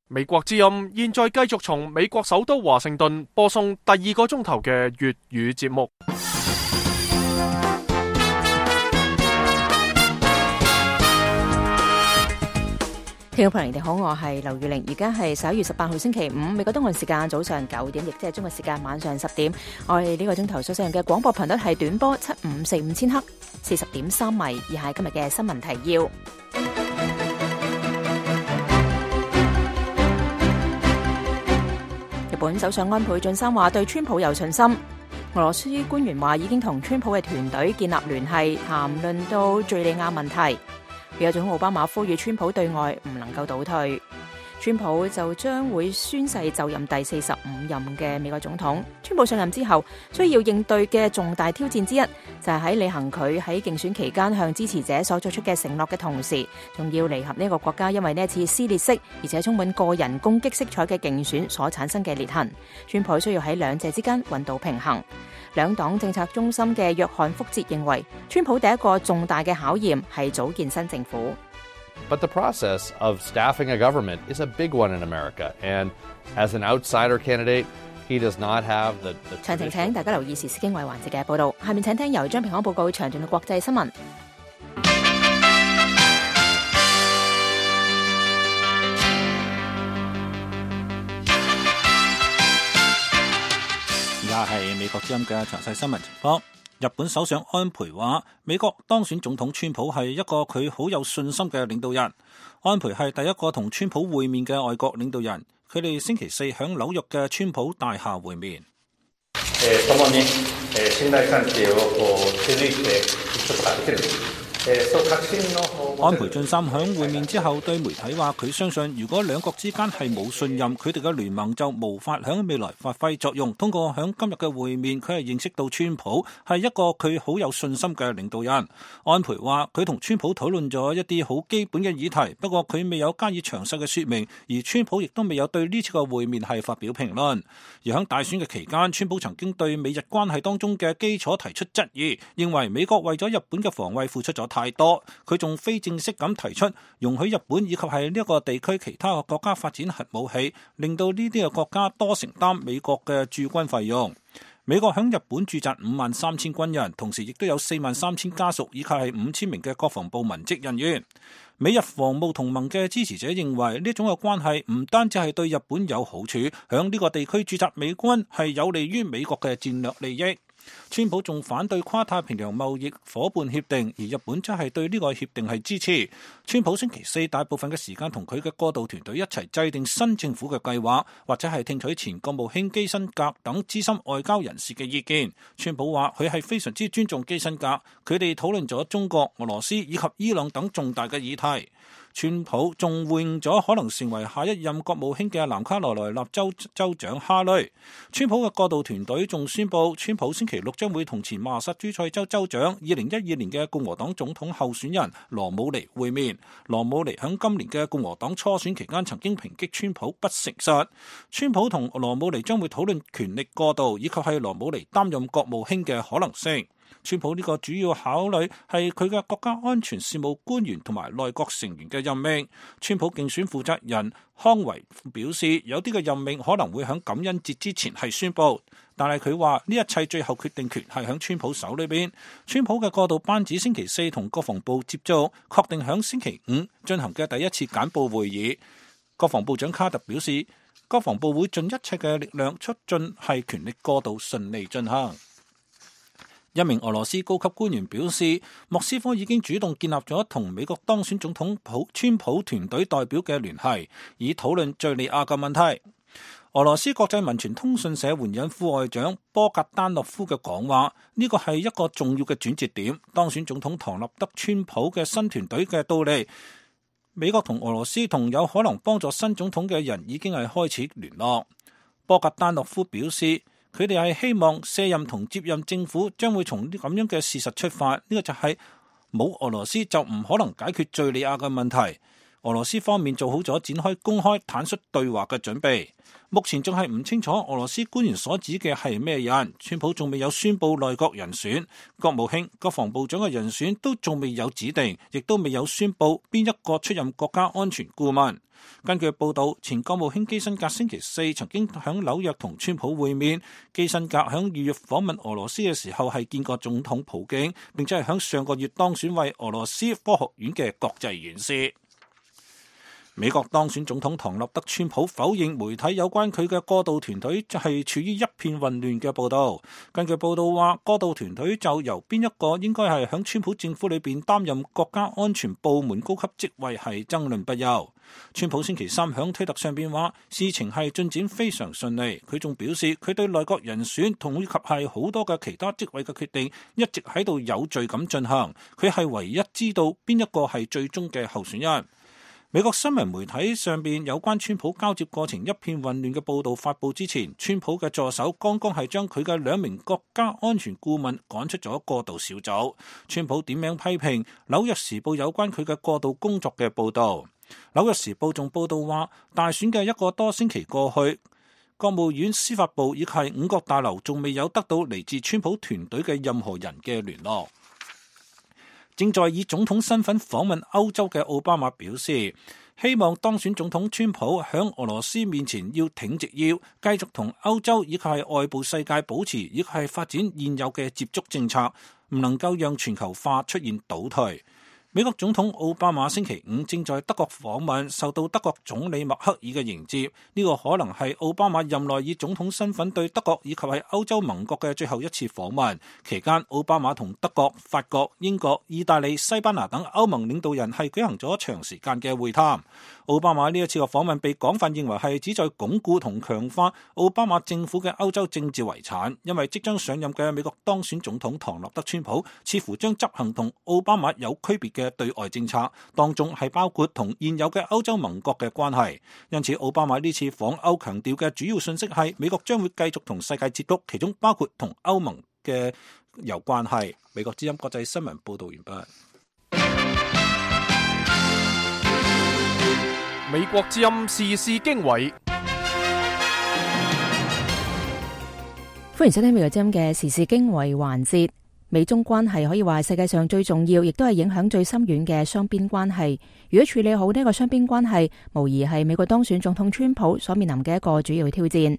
美國之音現在繼續從美國首都華盛頓播送第2個鐘頭嘅粵語節目。聽眾朋友，你好，我係劉玉玲，而家係11月18號星期五，美國東岸時間早上9點，亦即係中國時間晚上10點。我哋呢個鐘頭所使用嘅廣播頻率係短波7545000赫，40.3米。以下係今日嘅新聞提要。日本首相安倍晉三話對川普有信心。俄羅斯官員話已經同川普嘅團隊建立聯繫，談論到敘利亞問題。美國總統奧巴馬呼籲川普對外唔能夠倒退。川普就將會宣誓就任第45任嘅美國總統。川普上任之後需要應對嘅重大挑戰之一，就係喺履行佢喺競選期間向支持者所作出嘅承諾嘅同時，仲要彌合呢個國家因為呢一次撕裂式而且充滿個人攻擊色彩嘅競選所產生嘅裂痕。川普需要喺兩者之間揾到平衡。兩黨政策中心嘅約翰福哲認為，川普第一個重大嘅考驗係組建新政府。But the process of staffing a government is a big one in America, and as an outsider candidate, he does not have the 詳情請大家留意時事經緯環節嘅報導。下面請聽由張平安報告詳盡嘅國際新聞。而家係美國之音嘅詳細新聞情況。日本首相安倍話，美國當選總統川普係一個佢好有信心嘅領導人。安倍係第一個同川普會面嘅外國領導人，佢哋星期四響紐約嘅川普大廈會面。共に信頼関係を築いていくことができる。安倍晉三響會面之後對媒體話，佢相信如果兩國之間係冇信任，佢哋嘅聯盟就無法響未來發揮作用。通過響今日嘅會面，佢係認識到川普係一個佢好有信心嘅領導人。安倍話佢同川普討論咗一啲好基本嘅議題，不過佢未有加以詳細嘅說明，而川普亦都未有對呢次嘅會面係發表評論。而響大選嘅期間，川普曾經對美日關係當中嘅基礎提出質疑，認為美國為咗日本嘅防衛付出咗太多。佢仲非正式咁提出容許日本以及係呢一個地區其他嘅國家發展核武器，令到呢啲嘅國家多承擔美國嘅駐軍費用。美國響日本駐紮53000軍人，同時亦都有43000家屬以及係5000名嘅國防部文職人員。美日防務同盟嘅支持者認為呢種嘅關係唔單止係對日本有好處，響呢個地區駐紮美軍係有利於美國嘅戰略利益。川普仲反對跨太平洋貿易夥伴協定，而日本則係對呢個協定係支持。川普星期四大部分嘅時間同佢嘅過渡團隊一齊制定新政府嘅計劃，或者係聽取前國務卿基辛格等資深外交人士嘅意見。川普話佢係非常之尊重基辛格，佢哋討論咗中國、俄羅斯以及伊朗等重大嘅議題。川普仲回應咗可能成為下一任國務卿嘅南卡羅來納州州長哈雷。川普嘅過渡團隊仲宣布，川普星期六將會同前麻薩諸塞州州長2012年嘅共和黨總統候選人羅姆尼會面。羅姆尼喺今年嘅共和黨初選期間曾經抨擊川普不誠實。川普同羅姆尼將會討論權力過渡以及係羅姆尼擔任國務卿嘅可能性。川普呢個主要考慮係佢嘅國家安全事務官員同埋內閣成員嘅任命。川普競選負責人康維表示，有啲嘅任命可能會喺感恩節之前係宣布，但係佢話呢一切最後決定權係喺川普手裏邊。川普嘅過渡班子星期四同國防部接觸，確定喺星期五進行嘅第一次簡報會議。國防部長卡特表示，國防部會盡一切嘅力量促進係權力過渡順利進行。一名俄羅斯高級官員表示，莫斯科已經主動建立咗同美國當選總統川普團隊代表嘅聯繫，以討論敘利亞嘅問題。俄羅斯國際民傳通訊社援引副外長波格丹諾夫嘅講話，呢個係一個重要嘅轉折點。當選總統唐納德川普嘅新團隊嘅到嚟，美國同俄羅斯同有可能幫助新總統嘅人已經係開始聯絡。波格丹諾夫表示，佢哋係希望卸任同接任政府將會從咁樣嘅事實出發，呢個就係冇俄羅斯就唔可能解決敘利亞嘅問題。俄羅斯方面做好咗展開公開坦率對話嘅準備。目前仲係唔清楚俄羅斯官員所指嘅係咩人，川普仲未有宣布內閣人選，國務卿、國防部長嘅人選都仲未有指定，亦都未有宣布邊一個出任國家安全顧問。根據報道，前國務卿基辛格星期四曾經喺紐約同川普會面。基辛格喺2月訪問俄羅斯嘅時候係見過總統普京，並且係喺上個月當選為俄羅斯科學院嘅國際院士。美國當選總統唐納德川普否認媒體有關佢嘅過渡團隊係處於一片混亂嘅報道。根據報道話，過渡團隊就由邊一個應該係響川普政府裏邊擔任國家安全部門高級職位係爭論不休。川普星期三響推特上邊話，事情係進展非常順利。佢仲表示，佢對內閣人選同以及係好多嘅其他職位嘅決定一直喺度有序咁進行。佢係唯一知道邊一個係最終嘅候選人。美國新聞媒體上邊有關川普交接過程一片混亂嘅報道發佈之前，川普嘅助手剛剛係將佢嘅2名國家安全顧問趕出咗過渡小組。川普點名批評紐約時報有關佢嘅過渡工作嘅報道。紐約時報仲報道話，大選嘅1個多星期過去，國務院、司法部以及5角大樓仲未有得到嚟自川普團隊嘅任何人嘅聯絡。正在以總統身份訪問歐洲嘅奧巴馬表示，希望當選總統川普響俄羅斯面前要挺直腰，繼續同歐洲以及係外部世界保持以及係發展現有嘅接觸政策，唔能夠讓全球化出現倒退。美國總統奧巴馬星期五正在德國訪問，受到德國總理默克爾嘅迎接。呢個可能係奧巴馬任內以總統身份對德國以及係歐洲盟國嘅最後一次訪問。期間，奧巴馬同德國、法國、英國、意大利、西班牙等歐盟領導人係舉行咗長時間嘅會談。奧巴馬呢一次嘅訪問被廣泛認為係旨在鞏固同強化奧巴馬政府嘅歐洲政治遺產，因為即將上任嘅美國當選總統唐納德川普似乎將執行同奧巴馬有區別嘅對外政策，當中係包括同現有嘅歐洲盟國嘅關係。因此，奧巴馬呢次訪歐強調嘅主要信息係美國將會繼續同世界接觸，其中包括同歐盟嘅有關係。美國之音國際新聞報道完畢。美國之音時事經緯，歡迎收聽美國之音嘅時事經緯環節。美中關係可以話係世界上最重要，亦都係影響最深遠嘅雙邊關係。如果處理好呢個雙邊關係，無疑係美國當選總統川普所面臨嘅一個主要挑戰。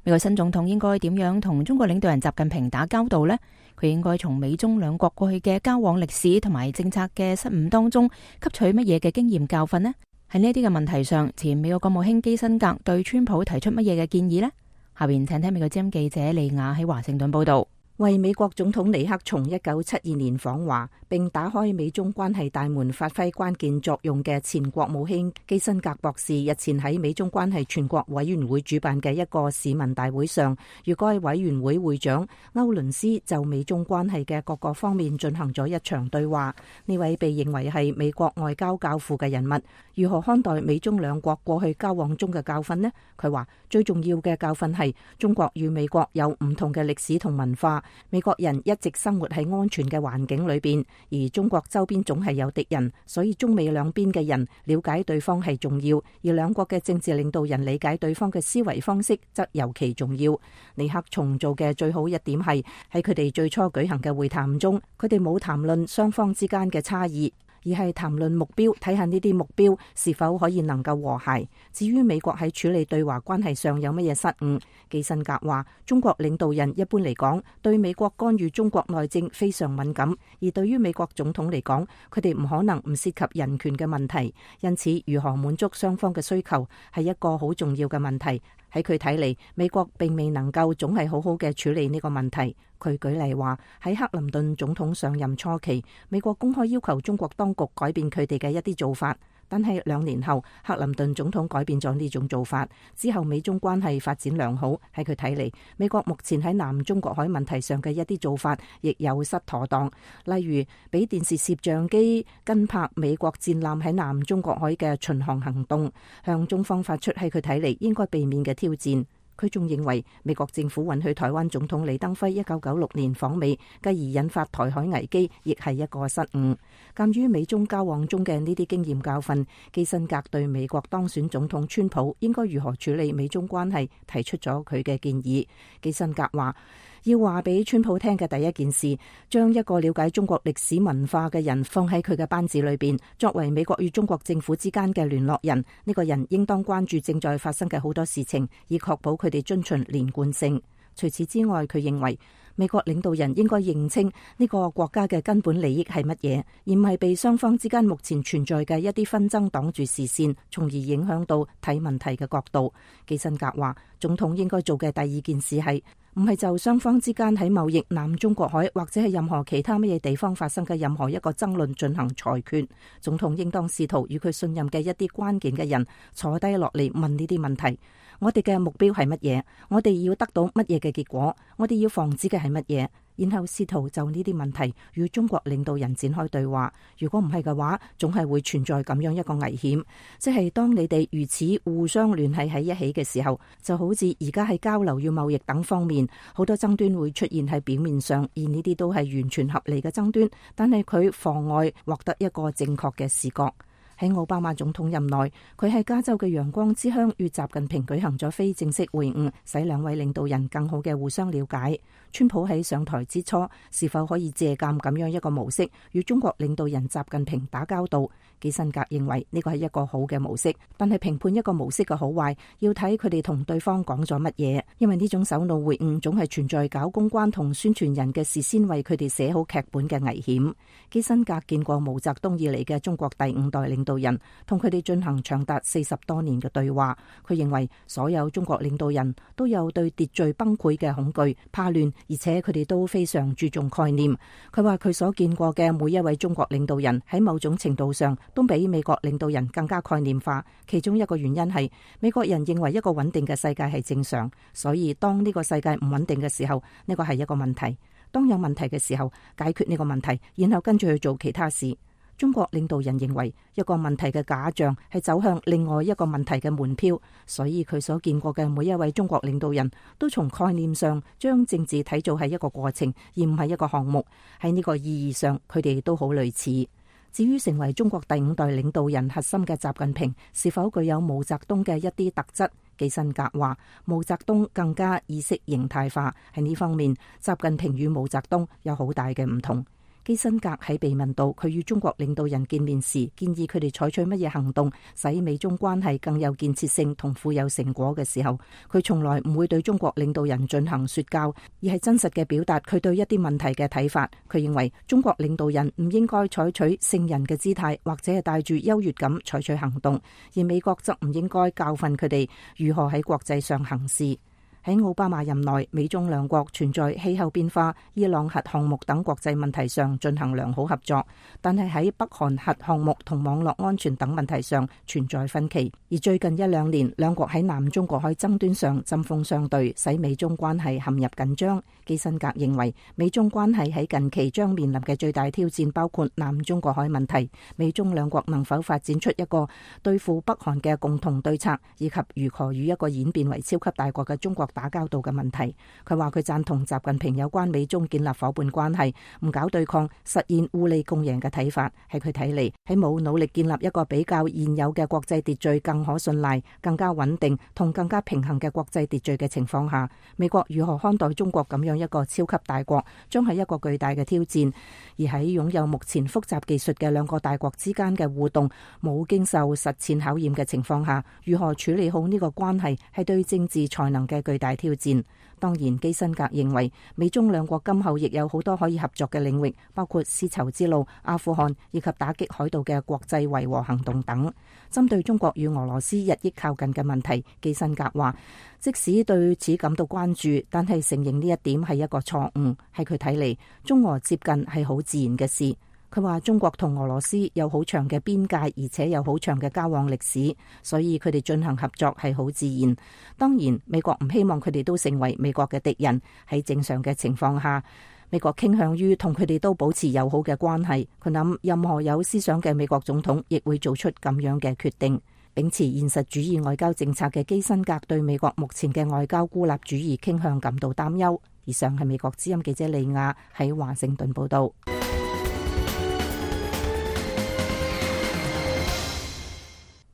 美國新總統應該點樣同中國領導人習近平打交道呢？佢應該從美中兩國過去嘅交往歷史同埋政策嘅失誤當中吸取乜嘢嘅經驗教訓呢？喺呢啲嘅問題上，前美國國務卿基辛格對川普提出乜嘢嘅建議呢？下邊請聽美國之音記者利亞喺華盛頓報道。為美國總統尼克松1972年訪華並打開美中關係大門發揮關鍵作用嘅前國務卿基辛格博士日前喺美中關係全國委員會主辦嘅一個市民大會上，與該委員會會長歐倫斯就美中關係嘅各個方面進行咗一場對話。呢位被認為係美國外交教父嘅人物，如何看待美中兩國過去交往中嘅教訓呢？佢話最重要嘅教訓係中國與美國有唔同嘅歷史同文化。美國人一直生活喺安全嘅環境裏邊，而中國周邊總係有敵人，所以中美兩邊嘅人了解對方係重要，而兩國嘅政治領導人理解對方嘅思維方式則尤其重要。尼克松做嘅最好一點係喺佢哋最初舉行嘅會談中，佢哋冇談論雙方之間嘅差異，而係談論目標，睇下呢啲目標是否可以能夠和諧。至於美國喺處理對華關係上有乜嘢失誤，基辛格話中國領導人一般嚟講對美國干預中國內政非常敏感，而對於美國總統嚟講，佢哋唔可能唔涉及人權嘅問題，因此如何滿足雙方嘅需求係一個好重要嘅問題。喺佢睇嚟，美國並未能夠總係好好嘅處理呢個問題。佢舉例話，喺克林頓總統上任初期，美國公開要求中國當局改變佢哋嘅一啲做法，但係2年後，克林頓總統改變咗呢種做法之後，美中關係發展良好。喺佢睇嚟，美國目前喺南中國海問題上嘅一啲做法亦有失妥當，例如俾電視攝像機跟拍美國戰艦喺南中國海嘅巡航行動，向中方發出喺佢睇嚟應該避免嘅挑戰。佢仲認為美國政府允許台灣總統李登輝1996年訪美，繼而引發台海危機，亦係一個失誤。鑑於美中交往中嘅呢啲經驗教訓，基辛格對美國當選總統川普應該如何處理美中關係提出咗佢嘅建議。基辛格話，要話俾川普聽嘅第一件事，將一個了解中國歷史文化嘅人放喺佢嘅班子裏邊，作為美國與中國政府之間嘅聯絡人。呢個人應當關注正在發生嘅好多事情，以確保佢哋遵循連貫性。除此之外，佢認為美國領導人應該認清呢個國家嘅根本利益係乜嘢，而唔係被雙方之間目前存在嘅一啲紛爭擋住視線，從而影響到睇問題嘅角度。基辛格話，總統應該做嘅第二件事係唔係就雙方之間喺貿易、南中國海或者係任何其他乜嘢地方發生嘅任何一個爭論進行裁決。總統應當試圖與佢信任嘅一啲關鍵嘅人坐低落嚟問呢啲問題。我哋嘅目標係乜嘢？我哋要得到乜嘢嘅結果？我哋要防止嘅係乜嘢？然後試圖就呢啲問題與中國領導人展開對話。如果唔係嘅話，總係會存在咁樣一個危險，即係當你哋如此互相聯繫喺一起嘅時候，就好似而家喺交流與貿易等方面，好多爭端會出現喺表面上，而呢啲都係完全合理嘅爭端，但係佢妨礙獲得一個正確嘅視覺。喺奧巴馬總統任內，佢喺加州嘅陽光之鄉與習近平舉行咗非正式會晤，使兩位領導人更好嘅互相了解。川普喺上台之初，是否可以借鑑咁樣一個模式，與中國領導人習近平打交道？基辛格認為呢個係一個好嘅模式，但係評判一個模式嘅好壞，要睇佢哋同對方講咗乜嘢。因為呢種首腦會晤總係存在搞公關同宣傳人嘅事先為佢哋寫好劇本嘅危險。基辛格見過毛澤東以嚟嘅中國第五代領導人，同佢哋進行長達40多年嘅對話。佢認為所有中國領導人都有對秩序崩潰嘅恐懼、怕亂，而且佢哋都非常注重概念。佢話佢所見過嘅每一位中國領導人喺某種程度上都比美國領導人更加概念化。其中一個原因係美國人認為一個穩定嘅世界係正常，所以當呢個世界唔穩定嘅時候，呢個係一個問題。當有問題嘅時候，解決呢個問題，然後跟住去做其他事。中國領導人認為一個問題嘅假象係走向另外一個問題嘅門票，所以佢所見過嘅每一位中國領導人都從概念上將政治睇做係一個過程，而唔係一個項目。喺呢個意義上，佢哋都好類似。至於成為中國第五代領導人核心嘅習近平是否具有毛澤東嘅一啲特質？基辛格話毛澤東更加意識形態化，喺呢方面習近平與毛澤東有好大嘅唔同。基辛格喺被問到佢與中國領導人見面時，建議佢哋採取乜嘢行動，使美中關係更有建設性同富有成果嘅時候，佢從來唔會對中國領導人進行說教，而係真實嘅表達佢對一啲問題嘅睇法。佢認為中國領導人唔應該採取聖人嘅姿態，或者係帶住優越感採取行動，而美國則唔應該教訓佢哋如何喺國際上行事。喺奧巴馬任內，美中兩國存在氣候變化、伊朗核項目等國際問題上進行良好合作，但係喺北韓核項目同網絡安全等問題上存在分歧。而最近1-2年，兩國喺南中國海爭端上針鋒相對，使美中關係陷入緊張。基辛格認為，美中關係喺近期將面臨嘅最大挑戰包括南中國海問題，美中兩國能否發展出一個對付北韓嘅共同對策，以及如何與一個演變為超級大國嘅中國打交道嘅問題。佢話佢贊同習近平有關美中建立伙伴關係、唔搞對抗、實現互利共贏嘅睇法。喺佢睇嚟，喺冇努力建立一個比較現有嘅國際秩序更可信賴、更加穩定同更加平衡嘅國際秩序嘅情況下，美國如何看待中國咁樣一個超級大國，將係一個巨大嘅挑戰。而喺擁有目前複雜技術嘅兩個大國之間嘅互動冇經受實踐考驗嘅情況下，如何處理好呢個關係，係對政治才能嘅巨大挑戰。當然，基辛格認為美中兩國今後亦有好多可以合作嘅領域，包括絲綢之路、阿富汗以及打擊海盜嘅國際維和行動等。針對中國與俄羅斯日益靠近嘅問題，基辛格話，即使對此感到關注，但係承認呢一點係一個錯誤。喺佢睇嚟，中俄接近係好自然嘅事。佢話中國同俄羅斯有好長嘅邊界，而且有好長嘅交往歷史，所以佢哋進行合作係好自然。當然，美國唔希望佢哋都成為美國嘅敵人。喺正常嘅情況下，美國傾向於同佢哋都保持友好嘅關係。佢諗任何有思想嘅美國總統亦會做出咁樣嘅決定。秉持現實主義外交政策嘅基辛格對美國目前嘅外交孤立主義傾向感到擔憂。以上係美國之音記者利亞喺華盛頓報道。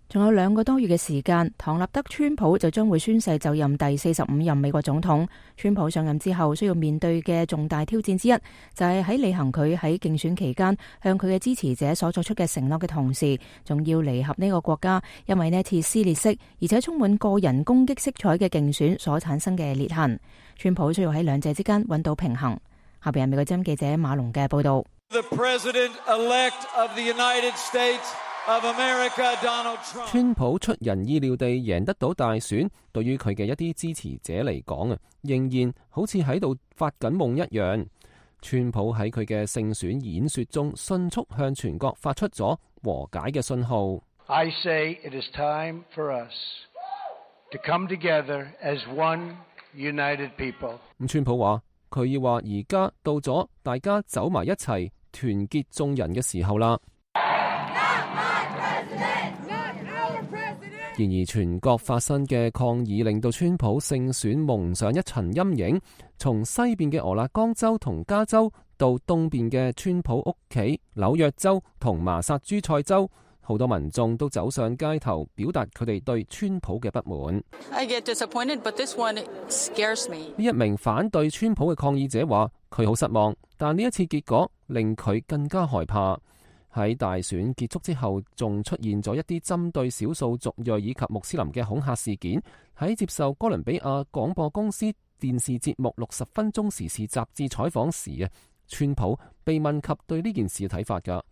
仲有2個多月嘅時間，唐納德·川普就將會宣誓就任第45任美國總統。川普上任之後需要面對嘅重大挑戰之一，就係喺履行佢喺競選期間向佢嘅支持者所作出嘅承諾嘅同時，仲要彌合呢個國家因為呢次撕裂式而且充滿個人攻擊色彩嘅競選所產生嘅裂痕。川普需要喺兩者之間揾到平衡。下邊係美國之音記者馬龍嘅報道。川普出人意料地贏得到大選，對於佢嘅一啲支持者嚟講啊，仍然好似喺度發緊夢一樣。川普喺佢嘅勝選演說中，迅速向全國發出咗和解嘅信號。I say it is time for us to come together as one united people。川普話佢要話而家到咗大家走埋一齊，團結眾人嘅時候啦。然而全國發生嘅抗議令到川普勝選蒙上一層陰影，從西邊嘅俄勒岡州同加州到東邊嘅川普屋企紐約州同麻薩諸塞州，好多民眾都走上街頭表達佢哋對川普嘅不滿。I get disappointed, but this one scares me. 呢一名反對川普嘅抗議者話佢好失望，但呢一次結果令佢更加害怕。喺大選結束之後，仲出現咗一啲針對少數族裔以及穆斯林嘅恐嚇事件。喺接受哥倫比亞廣播公司電視節目60分鐘時事雜誌採訪時，川普被問及對呢件事嘅睇法㗎。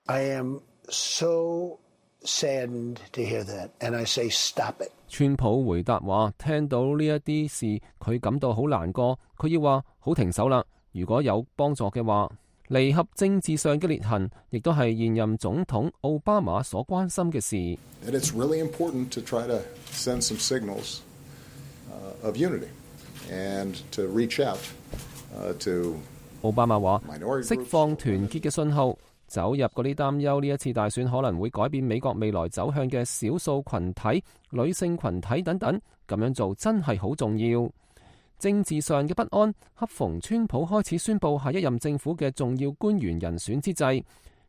I am so saddened to hear that, and I say stop it. 川普回答話：聽到呢一啲事，佢感到好難過，佢要話好停手啦。如果有幫助嘅話。彌合政治上嘅裂痕，亦都係現任總統奧巴馬所關心嘅事。It's really important to try to send some signals of unity and to reach out to。奧巴馬話：釋放團結嘅信號，走入嗰啲擔憂呢一次大選可能會改變美國未來走向嘅少數群體、女性群體等等，咁樣做真係好重要。政治上嘅不安，恰逢川普開始宣布下一任政府嘅重要官員人選之際，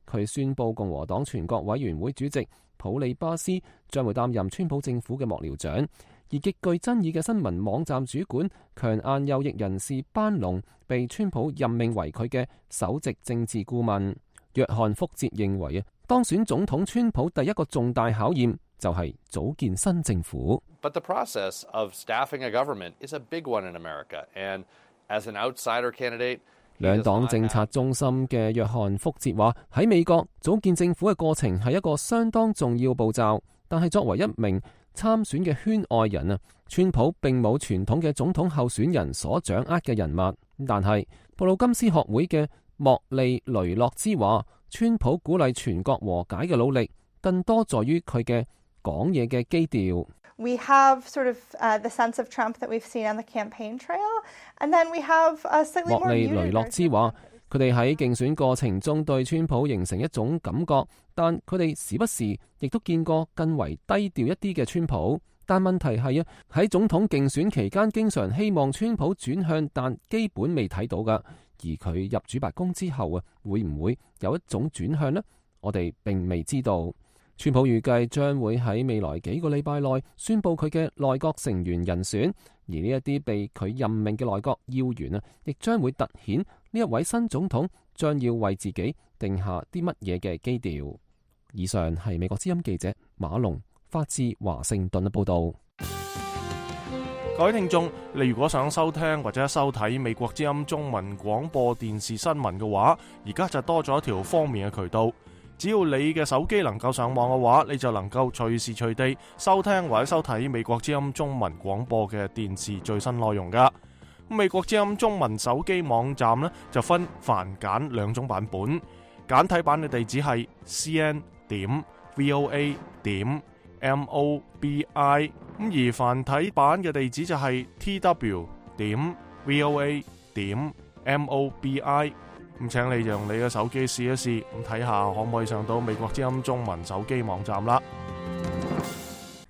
佢宣布共和黨全國委員會主席普利巴斯將會擔任川普政府嘅幕僚長，而極具爭議嘅新聞網站主管強硬右翼人士班農被川普任命為佢嘅首席政治顧問。約翰福哲認為當選總統川普第一個重大考驗就係組建新政府。But the process of staffing a government is a big one in America, and as an outsider candidate, 兩黨政策中心嘅約翰福哲話：喺美國組建政府嘅過程係一個相當重要步驟，但係作為一名參選嘅圈外人啊，川普並冇傳統嘅總統候選人所掌握嘅人物。但係布魯金斯學會嘅莫利雷諾茲話：川普鼓勵全國和解嘅努力，更多在於佢嘅講嘢嘅基調。We have sort of the sense of Trump that we've seen on the campaign trail, and then we have slightly more muted. 莫利雷諾茲話：佢哋喺競選過程中對川普形成一種感覺，但佢哋時不時亦都見過更為低調一啲嘅川普。但問題係喺總統競選期間，經常希望川普轉向，但基本未睇到㗎。而佢入主白宮之後會唔會有一種轉向呢？我哋並未知道。川普預計將會喺未來幾個禮拜內宣布佢嘅內閣成員人選，而呢一啲被佢任命嘅內閣要員亦將會突顯呢一位新總統將要為自己定下啲乜嘢嘅基調。以上係美國之音記者馬龍發自華盛頓嘅報道。各位聽眾，你如果想收聽或者收睇美國之音中文廣播電視新聞嘅話，而家就多咗一條方便嘅渠道。只要你嘅手機能夠上網嘅話，你就能夠隨時隨地收聽或者收睇美國之音中文廣播嘅電視最新內容噶。美國之音中文手機網站呢，就分繁簡兩種版本，簡體版嘅地址係 cn.voa.mobi， 而繁體版嘅地址就係 tw.voa.mobi。咁請你用你嘅手機試一試，咁睇下可唔可以上到美國之音中文手機網站啦。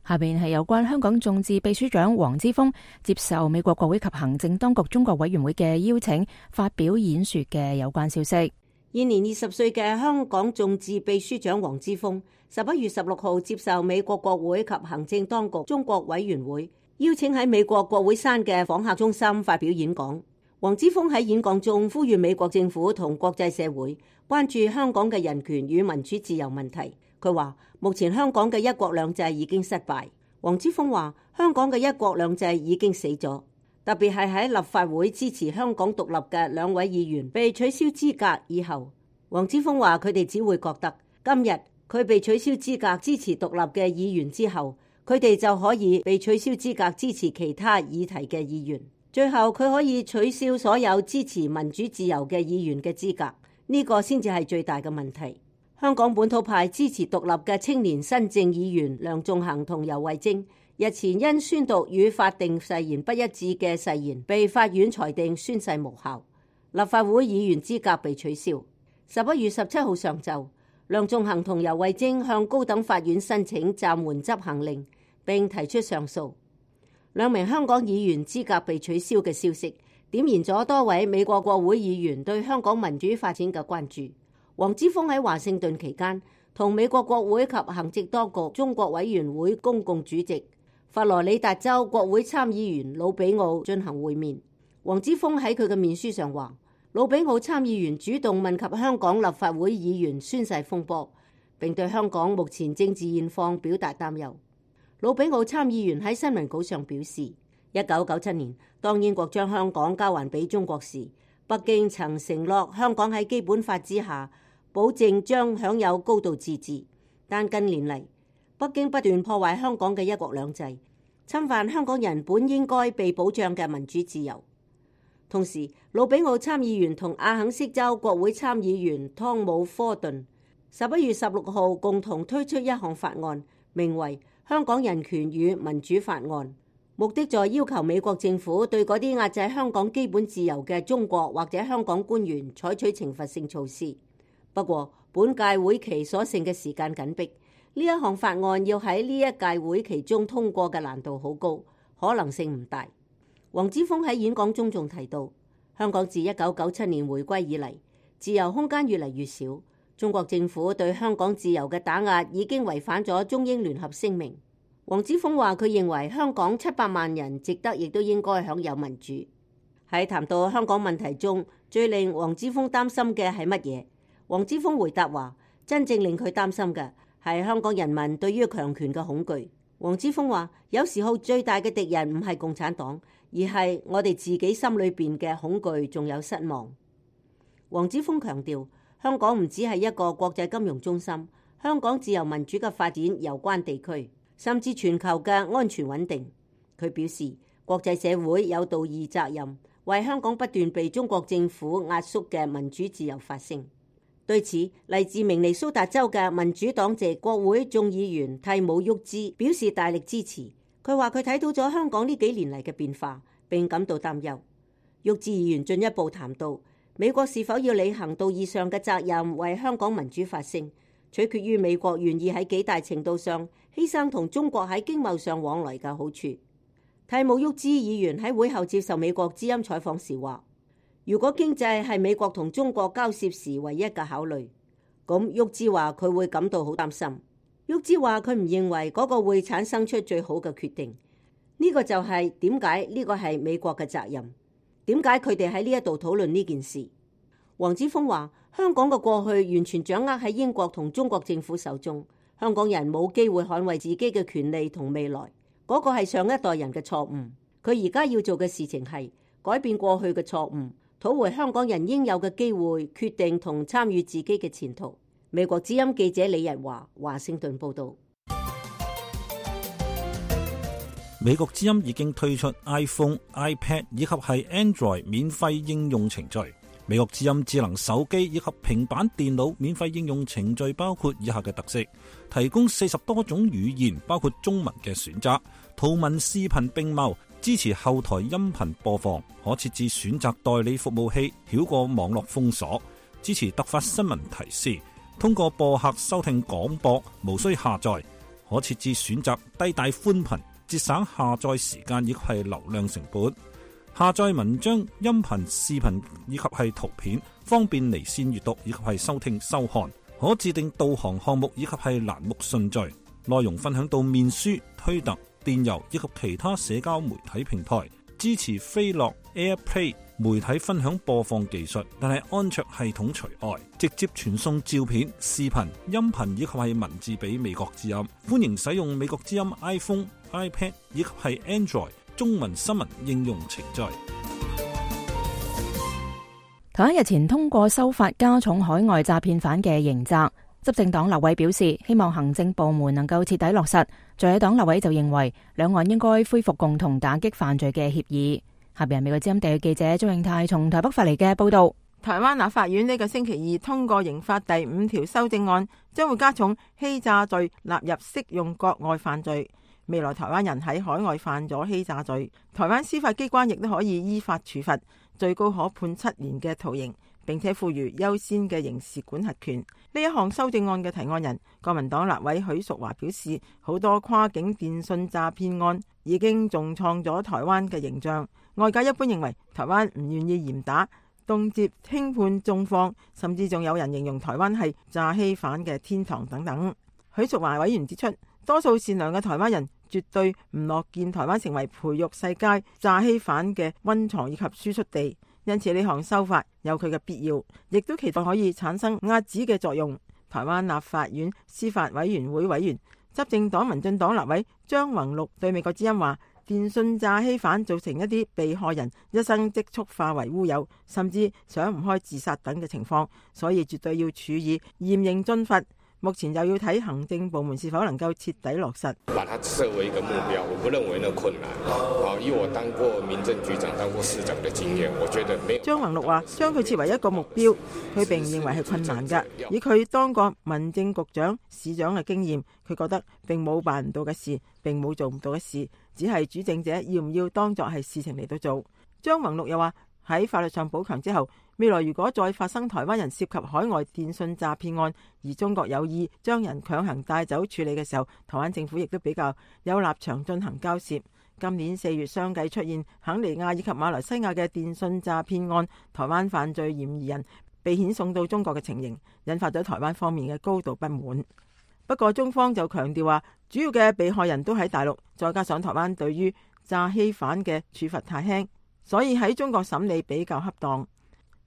下邊係有關香港眾志秘書長黃之鋒接受美國國會及行政當局中國委員會嘅邀請發表演說嘅有關消息。現年20歲嘅香港眾志秘書長黃之鋒11月16號接受美國國會及行政當局中國委員會邀請喺美國國會山嘅訪客中心發表演講。黃之鋒喺演講中呼籲美國政府同國際社會關注香港嘅人權與民主自由問題。佢話目前香港嘅一國兩制已經失敗。黃之鋒話香港嘅一國兩制已經死咗，特別係喺立法會支持香港獨立嘅2位議員被取消資格以後，黃之鋒話佢哋只會覺得今日佢被取消資格支持獨立嘅議員之後，佢哋就可以被取消資格支持其他議題嘅議員，最後佢可以取消所有支持民主自由嘅議員嘅資格，呢個先至係最大嘅問題。香港本土派支持獨立嘅青年新政議員梁頌恆同游蕙禎日前因宣讀與法定誓言不一致嘅誓言，被法院裁定宣誓無效，立法會議員資格被取消。11月17號上晝，梁頌恆同游蕙禎向高等法院申請暫緩執行令，並提出上訴。2名香港議員資格被取消嘅消息，點燃咗多位美國國會議員對香港民主發展嘅關注。黃之鋒喺華盛頓期間，同美國國會及行政當局中國委員會公共主席佛羅里達州國會參議員魯比奧進行會面。黃之鋒喺佢嘅面書上話，魯比奧參議員主動問及香港立法會議員宣誓風波，並對香港目前政治現況表達擔憂。魯比奧參議員喺新聞稿上表示，1997年當英國將香港交還俾中國時，北京曾承諾香港喺基本法之下保證將享有高度自治，但近年嚟北京不斷破壞香港嘅一國兩制，侵犯香港人本應該被保障嘅民主自由。同時，魯比奧參議員同阿肯色州國會參議員湯姆科頓11月16號共同推出一項法案，名為《香港人權與民主法案》，目的在要求美國政府對嗰啲壓制香港基本自由嘅中國或者香港官員採取懲罰性措施。不過，本屆會期所剩嘅時間緊迫，呢一項法案要喺呢一屆會期中通過嘅難度好高，可能性唔大。黃之鋒喺演講中仲提到，香港自1997年回歸以嚟，自由空間越嚟越少，中國政府對香港自由嘅打壓已經違反咗中英聯合聲明。黃之鋒話佢認為香港700萬人值得亦都應該享有民主。喺談到香港問題中，最令黃之鋒擔心嘅係乜嘢？黃之鋒回答話，真正令佢擔心嘅係香港人民對於強權嘅恐懼。黃之鋒話，有時候最大嘅敵人唔係共產黨，而係我哋自己心裏邊嘅恐懼仲有失望。黃之鋒強調，香港唔只係一個國際金融中心，香港自由民主嘅發展攸關地區，甚至全球嘅安全穩定。佢表示，國際社會有道義責任，為香港不斷被中國政府壓縮嘅民主自由發聲。對此，嚟自明尼蘇達州嘅民主黨籍國會眾議員蒂姆沃茲表示大力支持。佢話佢睇到咗香港呢幾年嚟嘅變化，並感到擔憂。沃茲議員進一步談到，美國是否要履行道義上嘅責任，為香港民主發聲，取決於美國願意喺幾大程度上犧牲同中國喺經貿上往來嘅好處。蒂姆沃茲議員喺會後接受美國之音採訪時話，如果經濟係美國同中國交涉時唯一嘅考慮，咁沃茲話佢會感到好擔心。沃茲話佢唔認為嗰個會產生出最好嘅決定。呢個就係點解呢個係美國嘅責任，點解佢哋喺呢一度討論呢件事。黃之鋒話，香港嘅過去完全掌握喺英國同中國政府手中，香港人冇機會捍衛自己嘅權利同未來，嗰個係上一代人嘅錯誤。佢而家要做嘅事情係改變過去嘅錯誤，討回香港人應有嘅機會，決定同參與自己嘅前途。美國之音記者李日華，華盛頓報道。美國之音已經推出 iPhone、iPad 以及係 Android 免費應用程序。美國之音智能手機以及平板電腦免費應用程序包括以下嘅特色：提供40多種語言，包括中文嘅選擇，圖文視頻並茂，支持後台音頻播放，可設置選擇代理服務器，繞過網絡封鎖，支持突發新聞提示，通過播客收聽廣播，無需下載。可設置選擇低帶寬頻，節省下載時間以及係流量成本。下載文章、音頻、視頻以及係圖片，方便離線閱讀以及係收聽收看。可自定導航項目以及係欄目順序，內容分享到面書、推特、電郵以及其他社交媒體平台。支持飛樂 AirPlay 媒體分享播放技術，但係安卓系統除外，直接傳送照片、視頻、音頻以及係文字俾美國之音。歡迎使用美國之音 iPhone、iPad 以及係 Android 中文新聞應用程序。台灣日前通過修法加重海外詐騙犯嘅刑責，執政黨立委表示希望行政部門能夠徹底落實，在野黨立委就認為兩岸應該恢復共同打擊犯罪嘅協議。下邊係美國之音地區記者張永泰從台北發嚟嘅報道。台灣立法院呢個星期二通過刑法第5條修正案，將會加重欺詐罪納入適用國外犯罪。未來台灣人喺海外犯咗欺詐罪，台灣司法機關亦都可以依法處罰，最高可判7年嘅徒刑，並且賦予優先嘅刑事管轄權。呢一項修正案嘅提案人國民黨立委許淑華表示，好多跨境電信詐騙案已經重創咗台灣嘅形象。外界一般認為台灣唔願意嚴打，動輒輕判重放，甚至仲有人形容台灣係詐欺犯嘅天堂等等。許淑華委員指出，多數善良嘅台灣人絕對唔樂見台灣成為培育世界詐欺犯嘅溫床以及輸出地，因此呢項修法有佢嘅必要，亦都期待可以產生遏止嘅作用。台灣立法院司法委員會委員、執政黨民進黨立委張宏陸對美國之音話，電信詐欺犯造成一啲被害人一生積蓄化為烏有，甚至想唔開自殺等嘅情況，所以絕對要處以嚴刑峻罰。目前又要睇行政部門是否能夠徹底落實。把它設為一個目標，我不認為那困難。以我當過民政局長、當過市長的經驗，我覺得沒有。張宏陸話：將佢設為一個目標，佢並唔認為係困難㗎。以佢當過民政局長、市長嘅經驗，佢覺得並冇辦唔到嘅事，並冇做唔到嘅事，只係主政者要唔要當作係事情嚟到做。張宏陸又話：喺法律上補強之後，未來如果再發生台灣人涉及海外電信詐騙案，而中國有意將人強行帶走處理嘅時候，台灣政府亦都比較有立場進行交涉。今年4月相繼出現肯尼亞以及馬來西亞嘅電信詐騙案，台灣犯罪嫌疑人被遣送到中國嘅情形，引發咗台灣方面嘅高度不滿。不過中方就強調話，主要嘅被害人都喺大陸，再加上台灣對於詐欺犯嘅處罰太輕，所以喺中國審理比較恰當。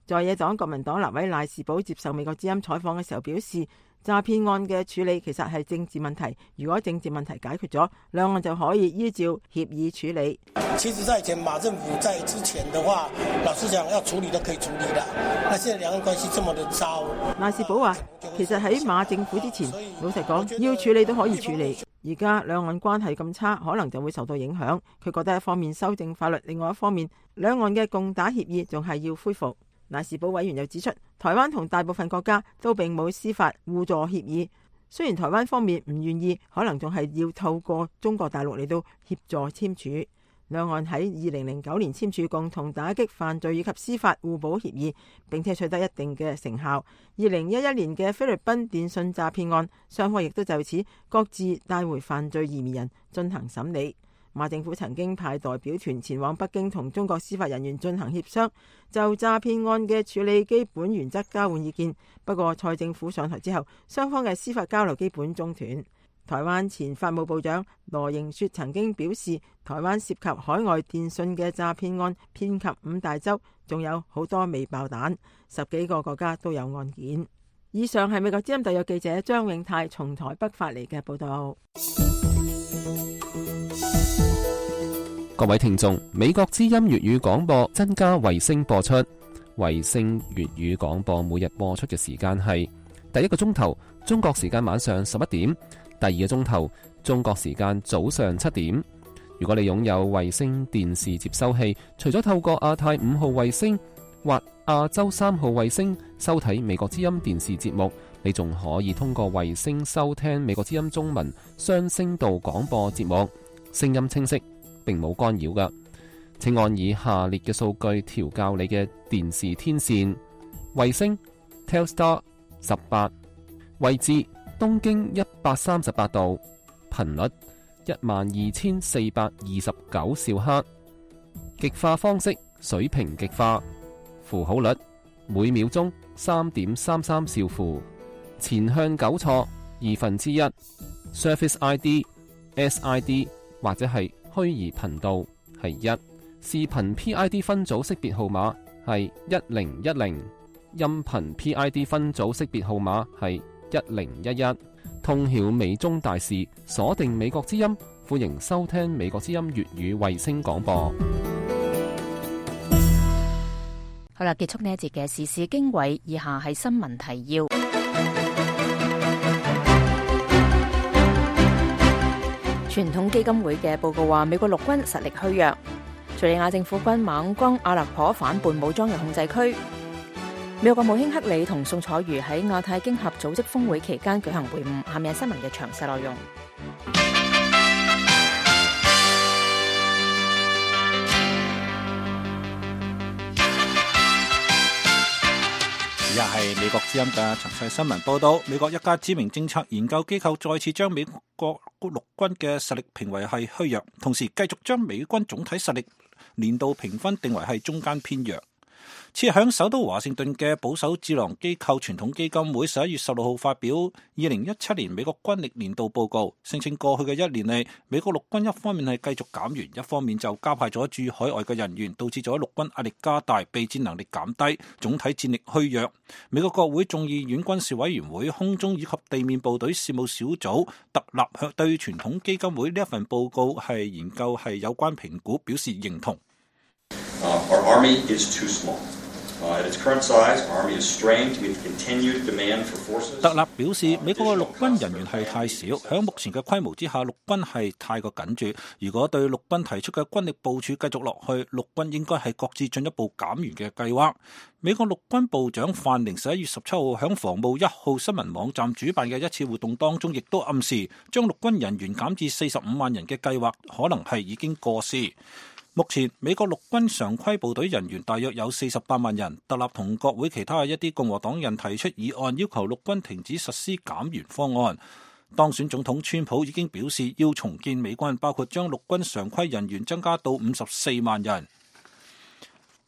在野黨國民黨立委賴士葆接受美國之音採訪嘅時候表示，詐騙案嘅處理其實係政治問題，如果政治問題解決咗，兩岸就可以依照協議處理。其實在以前馬政府在之前的話，老實講要處理都可以處理的，那現在兩岸關係這麼的糟。賴士葆話，其實喺馬政府之前，老實講要處理都可以處理，而家兩岸關係咁差，可能就會受到影響。佢覺得一方面修正法律，另外一方面兩岸嘅共打協議仲係要恢復。賴士葆委員又指出，台灣同大部分國家都並冇司法互助協議，雖然台灣方面唔願意，可能仲係要透過中國大陸嚟到協助簽署。兩岸喺2009年簽署共同打擊犯罪以及司法互補協議，並且取得一定嘅成效。2011年嘅菲律賓電信詐騙案，雙方亦都就此各自帶回犯罪嫌疑人進行審理。馬政府曾經派代表團前往北京同中國司法人員進行協商，就詐騙案嘅處理基本原則交換意見。不過蔡政府上台之後，雙方嘅司法交流基本中斷。台灣前法務部長羅盈雪曾經表示，台灣涉及海外電信嘅詐騙案遍及5大洲，仲有好多未爆彈，10幾個國家都有案件。以上係美國之音特約記者張永泰從台北發嚟嘅報道。各位聽眾，美國之音粵語廣播增加衛星播出。衛星粵語廣播每日播出嘅時間係第一個鐘頭中國時間晚上11點，第二個鐘頭中國時間早上7點。如果你擁有衛星電視接收器，除咗透過亞太5號衛星或亞洲3號衛星收睇美國之音電視節目，你仲可以通過衛星收聽美國之音中文雙聲道廣播節目，聲音清晰，並冇干擾㗎。請按以下列嘅數據調校你嘅電視天線：衛星 Telstar 18，位置東經138度，頻率12429兆赫，極化方式水平極化，符號率每秒鐘3.33兆符，前向糾錯1/2， Surface ID、SID 或者係虛擬頻道係1，視頻 PID 分組識別號碼係1010，音頻 PID 分組識別號碼係1011。通曉美中大事，鎖定美國之音，歡迎收聽美國之音粵語衛星廣播。好啦，結束呢一節嘅時事經緯，以下係新聞提要。傳統基金會嘅報告話，美國陸軍實力虛弱，敘利亞政府軍猛攻阿勒頗反叛武裝嘅控制區。美國國務卿克里同宋楚瑜喺亞太經合組織峰會期間舉行會晤。下面係新聞嘅詳細內容。而家係美國之音嘅詳細新聞報道。美國一家知名政策研究機構再次將美國陸軍嘅實力評為係虛弱，同時繼續將美軍總體實力年度評分定為係中間偏弱。設響首都華盛頓嘅保守智囊機構傳統基金會11月16號發表2017年美國軍力年度報告，聲稱過去嘅一年嚟，美國陸軍一方面係繼續減員，一方面就加派咗駐海外嘅人員，導致咗陸軍壓力加大，備戰能力減低，總體戰力虛弱。美國國會眾議院軍事委員會空中以及地面部隊事務小組特立對傳統基金會呢一份報告係研究係有關評估表示認同。Our army is too small. At its current size, our army is strained to meet the continued demand for forces. 特立表示，美國嘅陸軍人員係太少，喺目前嘅規模之下，陸軍係太過緊絀。如果對陸軍提出嘅軍力部署繼續落去，陸軍應該係擱置進一步減員嘅計劃。美國陸軍部長范寧11月17號喺防務1號新聞網站主辦嘅一次活動當中，亦都暗示將陸軍人員減至45萬人嘅計劃可能係已經過時。目前美國陸軍常規部隊人員大約有48萬人。特立同國會其他一啲共和黨人提出議案，要求陸軍停止實施減員方案。當選總統川普已經表示要重建美軍，包括將陸軍常規人員增加到54萬人。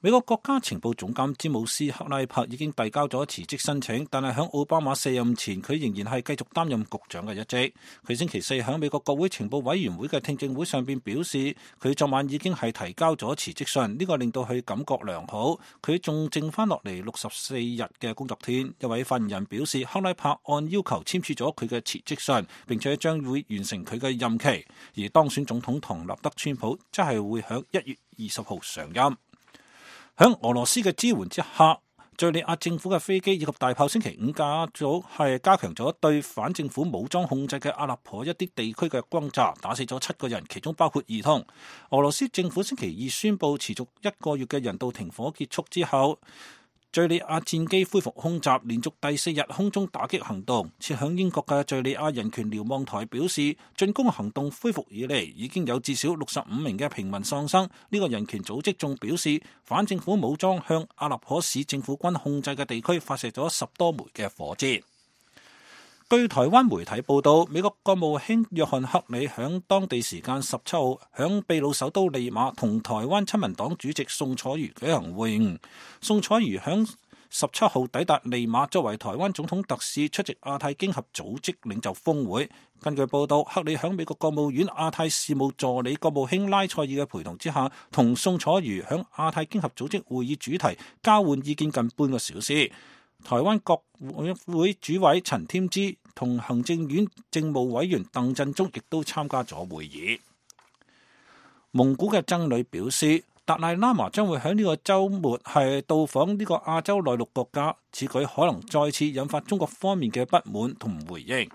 美國國家情報總監詹姆斯克拉柏已經遞交咗辭職申請，但係喺奧巴馬卸任前，佢仍然係繼續擔任局長嘅一職。佢星期四喺美國國會情報委員會嘅聽證會上邊表示，佢昨晚已經係提交咗辭職信，呢個令到佢感覺良好。佢仲剩翻落嚟64日嘅工作天。一位發言人表示，克拉柏按要求簽署咗佢嘅辭職信，並且將會完成佢嘅任期。而當選總統唐納德川普則係會喺1月20號上任。喺俄羅斯嘅支援之下，敘利亞政府嘅飛機以及大炮星期五加強咗對反政府武裝控制嘅阿勒頗一啲地區嘅轟炸，打死咗7個人，其中包括兒童。俄羅斯政府星期二宣布持續1個月嘅人道停火結束之後，敘利亞戰機恢復空襲，連續第4日空中打擊行動。設響英國嘅敘利亞人權瞭望台表示，進攻行動恢復以嚟，已經有至少65名嘅平民喪生。呢個人權組織仲表示，反政府武裝向阿勒頗市政府軍控制嘅地區發射咗10多枚嘅火箭。據台灣媒體報道，美國國務卿約翰克里響當地時間17號響秘魯首都利馬同台灣親民黨主席宋楚瑜舉行會晤。宋楚瑜響17號抵達利馬，作為台灣總統特使出席亞太經合組織領袖峰會。根據報道，克里響美國國務院亞太事務助理國務卿拉塞爾嘅陪同之下，同宋楚瑜響亞太經合組織會議主題交換意見近半個小時。台灣國會主委陳添枝同行政院政務委員鄧振中亦都參加咗會議。蒙古嘅僧侶表示，達賴喇嘛將會喺呢個週末係到訪呢個亞洲內陸國家，此舉可能再次引發中國方面嘅不滿同回應。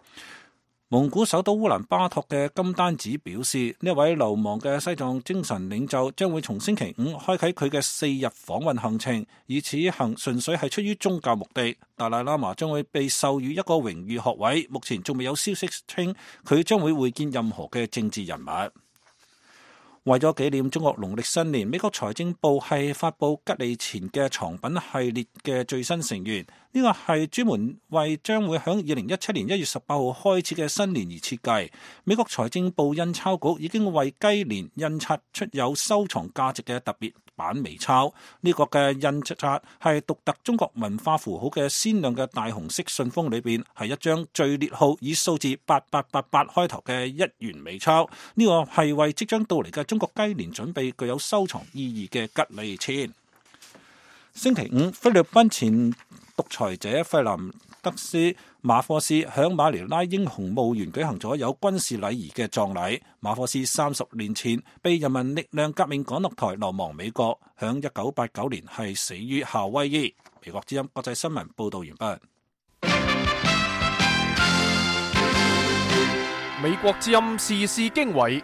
蒙古首都烏蘭巴托嘅金丹子表示，呢位流亡嘅西藏精神領袖將會從星期五開啟佢嘅4日訪問行程，而此行純粹係出於宗教目的。達賴喇嘛將會被授予一個榮譽學位，目前仲未有消息稱佢將會會見任何嘅政治人物。為咗紀念中國農曆新年，美國財政部係發布吉利錢嘅藏品系列嘅最新成員。呢個係專門為將會響2017年1月18號開始嘅新年而設計。美國財政部印鈔局已經為雞年印刷出有收藏價值嘅特別版微鈔。呢個嘅印刷係獨特中國文化符號嘅鮮亮嘅大紅色信封，裏邊係一張序列號以數字8888開頭嘅1元微鈔。呢個係為即將到嚟嘅中國雞年準備具有收藏意義嘅吉利錢。星期五，菲律賓前獨裁者費南德斯馬科斯響馬尼拉英雄墓園舉行咗有軍事禮儀嘅葬禮。馬科斯30年前被人民力量革命趕落台，流亡美國，響1989年係死於夏威夷。美國之音國際新聞報道完畢。美國之音時事經緯，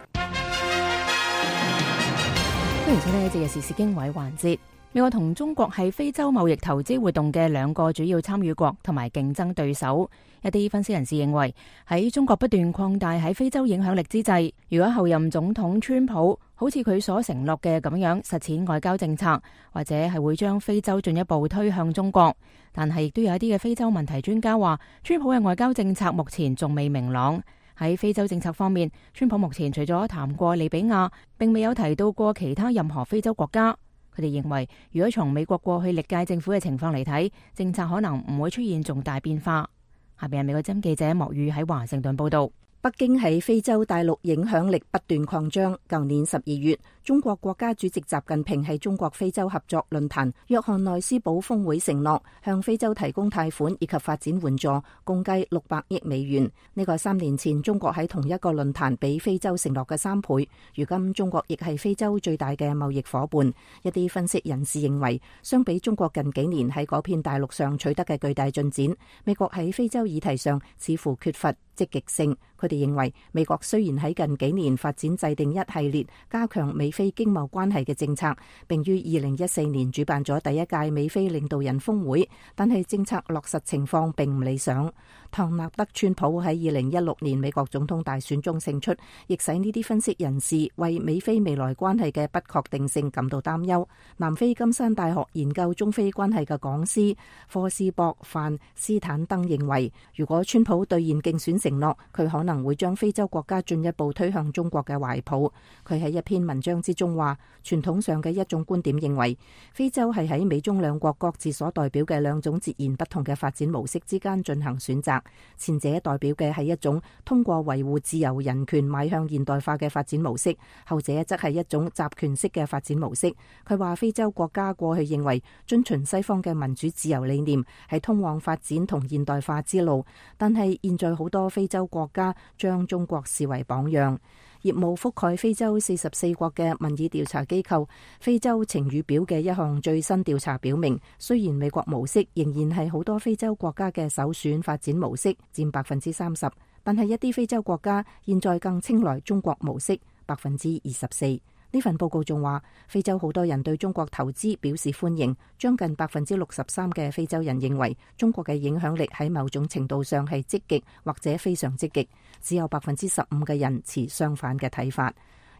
歡迎收聽呢一節嘅時事經緯環節。美國同中國係非洲貿易投資活動嘅兩個主要參與國同埋競爭對手。一啲分析人士認為，喺中國不斷擴大喺非洲影響力之際，如果後任總統川普好似佢所承諾嘅咁樣實踐外交政策，或者係會將非洲進一步推向中國。但係亦都有一啲嘅非洲問題專家話，川普嘅外交政策目前仲未明朗。喺非洲政策方面，川普目前除咗談過利比亞，並未有提到過其他任何非洲國家。佢哋認為，如果從美國過去歷屆政府嘅情況嚟睇，政策可能唔會出現重大變化。下邊係美國之音記者莫宇喺華盛頓報道。北京喺非洲大陸影響力不斷擴張。舊年12月，中國國家主席習近平喺中國非洲合作論壇約翰內斯堡峰會承諾向非洲提供貸款以及發展援助，共計600億美元。呢個係3年前中國喺同一個論壇俾非洲承諾嘅3倍。如今中國亦係非洲最大嘅貿易夥伴。一啲分析人士認為，相比中國近幾年喺嗰片大陸上取得嘅巨大進展，美國喺非洲議題上似乎缺乏積極性。佢哋認為，美國雖然喺近幾年發展制定一系列加強美非經貿關係嘅政策，並於2014年主辦咗第一屆美非領導人峰會，但係政策落實情況並唔理想。唐納德·川普喺2016年美國總統大選中勝出，亦使呢啲分析人士為美非未來關係嘅不確定性感到擔憂。南非金山大學研究中非關係嘅講師科斯博范斯坦登認為，如果川普兌現競選承諾，佢可能會將非洲國家進一步推向中國嘅懷抱。佢喺一篇文章之中話，傳統上嘅一種觀點認為，非洲係喺美中兩國各自所代表嘅兩種截然不同嘅發展模式之間進行選擇。前者代表嘅係一種通過維護自由人權邁向現代化嘅發展模式，後者則係一種集權式嘅發展模式。佢話非洲國家過去認為遵循西方嘅民主自由理念係通往發展同現代化之路，但係現在好多非洲國家將中國視為榜樣。業務覆蓋非洲44國嘅民意調查機構非洲晴雨表嘅一項最新調查表明，雖然美國模式仍然係好多非洲國家嘅首選發展模式，佔30%，但係一啲非洲國家現在更青睞中國模式，24%。呢份報告仲話，非洲好多人對中國投資表示歡迎，將近63%嘅非洲人認為中國嘅影響力喺某種程度上係積極或者非常積極，只有15%嘅人持相反嘅睇法。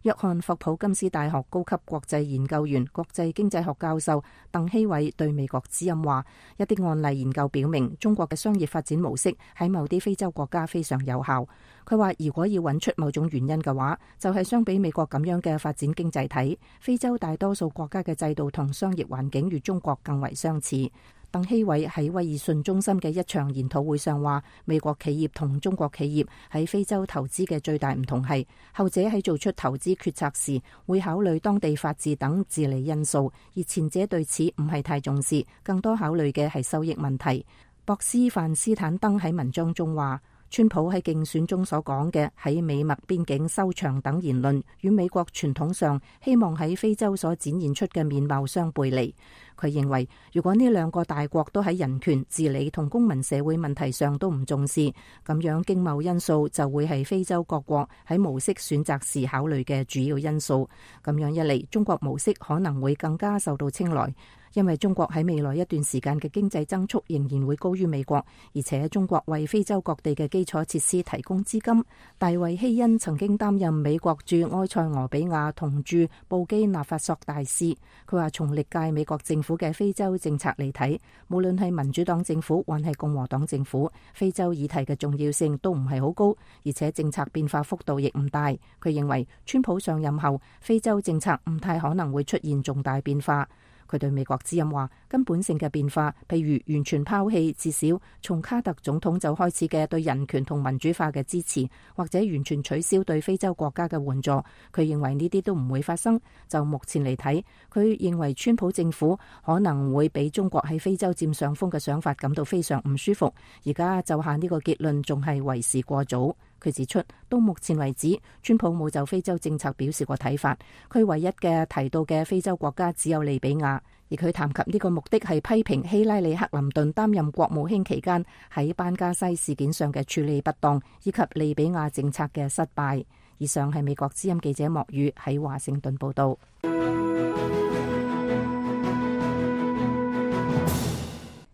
約翰霍普金斯大學高級國際研究員、國際經濟學教授鄧希偉對美國之音話，一啲案例研究表明，中國嘅商業發展模式喺某啲非洲國家非常有效。佢話，如果要揾出某種原因嘅話，就係相比美國咁樣嘅發展經濟體，非洲大多數國家嘅制度同商業環境與中國更為相似。鄧希偉喺威爾遜中心嘅一場研討會上話，美國企業同中國企業喺非洲投資嘅最大唔同係，後者喺做出投資決策時會考慮當地法治等治理因素，而前者對此唔係太重視，更多考慮嘅係收益問題。博斯范斯坦登喺文章中話，川普喺競選中所講嘅喺美墨邊境收場等言論，與美國傳統上希望喺非洲所展現出嘅面貌相背離。佢認為，如果呢兩個大國都喺人權、治理同公民社會問題上都唔重視，咁樣經貿因素就會係非洲各國喺模式選擇時考慮嘅主要因素。咁樣一嚟，中國模式可能會更加受到青睞。因為中國喺未來一段時間嘅經濟增速仍然會高於美國，而且中國為非洲各地嘅基礎設施提供資金。大衛希恩曾經擔任美國駐埃塞俄比亞同駐布基納法索大使，佢話從歷屆美國政府嘅非洲政策嚟睇，無論係民主黨政府還係共和黨政府，非洲議題嘅重要性都唔係好高，而且政策變化幅度亦唔大。佢認為川普上任後，非洲政策唔太可能會出現重大變化。佢對美國之音話，根本性嘅變化，譬如完全拋棄至少從卡特總統就開始嘅對人權同民主化嘅支持，或者完全取消對非洲國家嘅援助，佢認為呢啲都唔會發生。就目前嚟睇，佢認為川普政府可能會俾中國喺非洲佔上風嘅想法感到非常唔舒服。而家就下呢個結論仲係為時過早。佢指出，到目前為止，川普冇就非洲政策表示過睇法。佢唯一嘅提到嘅非洲國家只有利比亞，而佢談及呢個目的係批評希拉里克林頓擔任國務卿期間喺班加西事件上嘅處理不當，以及利比亞政策嘅失敗。以上係美國之音記者莫宇喺華盛頓報道。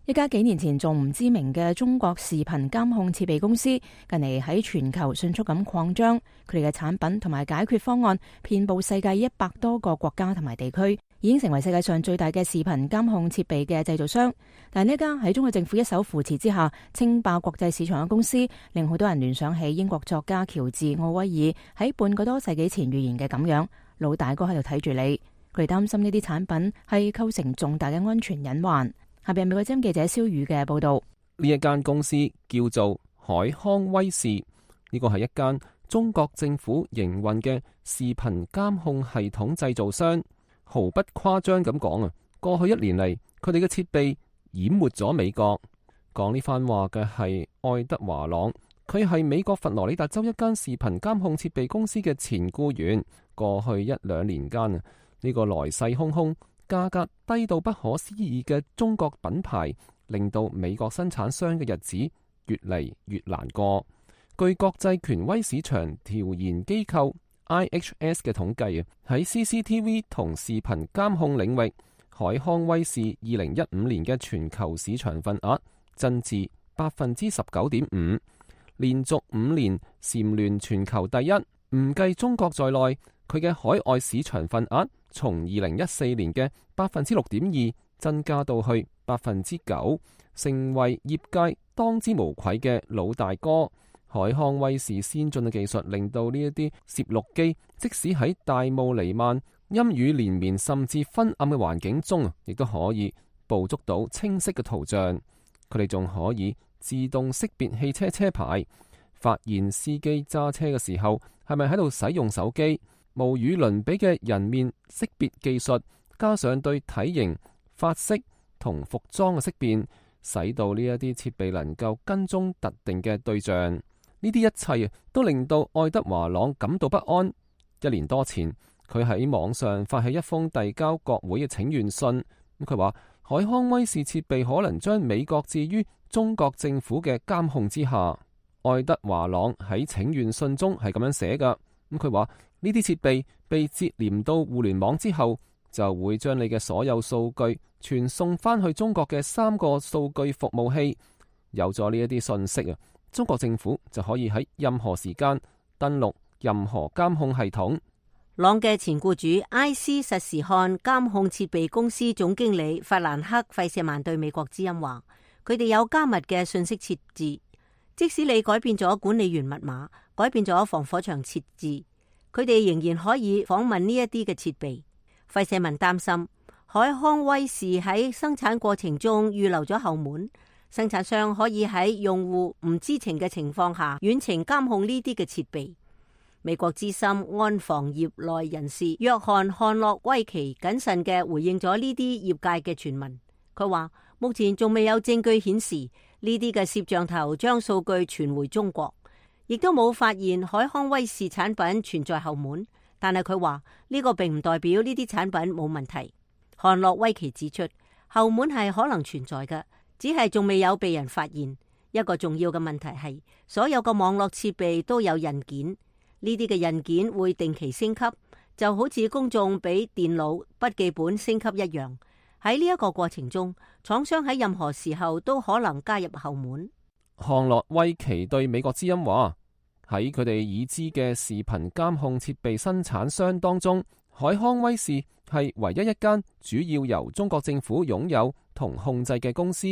一家幾年前仲唔知名嘅中國視頻監控設備公司，近嚟喺全球迅速咁擴張，佢哋嘅產品同埋解決方案遍佈世界100多個國家同埋地區，已經成為世界上最大嘅視頻監控設備嘅製造商。但係呢家喺中國政府一手扶持之下稱霸國際市場嘅公司，令好多人聯想起英國作家喬治奧威爾喺半個多世紀前預言嘅咁樣，老大哥喺度睇住你。佢哋擔心呢啲產品係構成重大嘅安全隱患。下邊美國之音記者蕭宇嘅報道。呢一間公司叫做海康威視，呢個係一間中國政府營運嘅視頻監控系統製造商。毫不誇張咁講啊，過去1年嚟，佢哋嘅設備淹沒咗美國。講呢番話嘅係愛德華朗，佢係美國佛羅里達州一間視頻監控設備公司嘅前僱員。過去1-2年間啊，呢個來勢洶洶、價格低到不可思議嘅中國品牌，令到美國生產商嘅日子越嚟越難過。據國際權威市場調研機構 IHS 嘅統計啊，喺 CCTV 同視頻監控領域，海康威視2015年嘅全球市場份額增至 19.5%， 連續5年蟬聯全球第一。唔計中國在內，佢嘅海外市場份額從2014年嘅 6.2% 增加到去 9%， 成為業界當之無愧嘅老大哥。海康威視先進嘅技術令到呢一啲攝錄機，即使喺大霧彌漫、陰雨連綿甚至昏暗嘅環境中，亦都可以捕捉到清晰嘅圖像。佢哋仲可以自動識別汽車車牌，發現司機揸車嘅時候係咪喺度使用手機。無與倫比嘅人面識別技術，加上對體型、髮色同服裝嘅識辨，使到呢一啲設備能夠跟蹤特定嘅對象。呢啲一切都令到愛德華朗感到不安。1年多前，佢喺網上發起一封遞交國會嘅請願信。佢話海康威視設備可能將美國置於中國政府嘅監控之下。愛德華朗喺請願信中係咁樣寫噶。佢話呢啲設備被接連到互聯網之後，就會將你嘅所有數據傳送翻去中國嘅3個數據服務器。有咗呢一啲信息啊，中國政府就可以喺任何時間登錄任何監控系統。朗嘅前雇主埃斯實時看監控設備公司總經理法蘭克費舍曼對美國之音話，佢哋有加密嘅信息設置，即使你改變咗管理員密碼，改變咗防火牆設置，佢哋仍然可以訪問呢一啲嘅設備。費舍曼擔心海康威視喺生產過程中預留咗後門，生產商可以喺用戶唔知情嘅情況下遠程監控呢啲嘅設備。美國資深安防業內人士約翰漢諾威奇謹慎嘅回應咗呢啲業界嘅傳聞。佢話目前仲未有證據顯示呢啲嘅攝像頭將數據傳回中國，亦都冇發現海康威視產品存在後門。但係佢話呢個並唔代表呢啲產品冇問題。漢諾威奇指出後門係可能存在嘅，只係仲未有被人發現。一個重要嘅問題係，所有嘅網絡設備都有印件，呢啲嘅印件會定期升級，就好似公眾俾電腦筆記本升級一樣。喺呢一個過程中，廠商喺任何時候都可能加入後門。漢諾威奇對美國之音話：喺佢哋已知嘅視頻監控設備生產商當中，海康威視係唯一一間主要由中國政府擁有同控制嘅公司。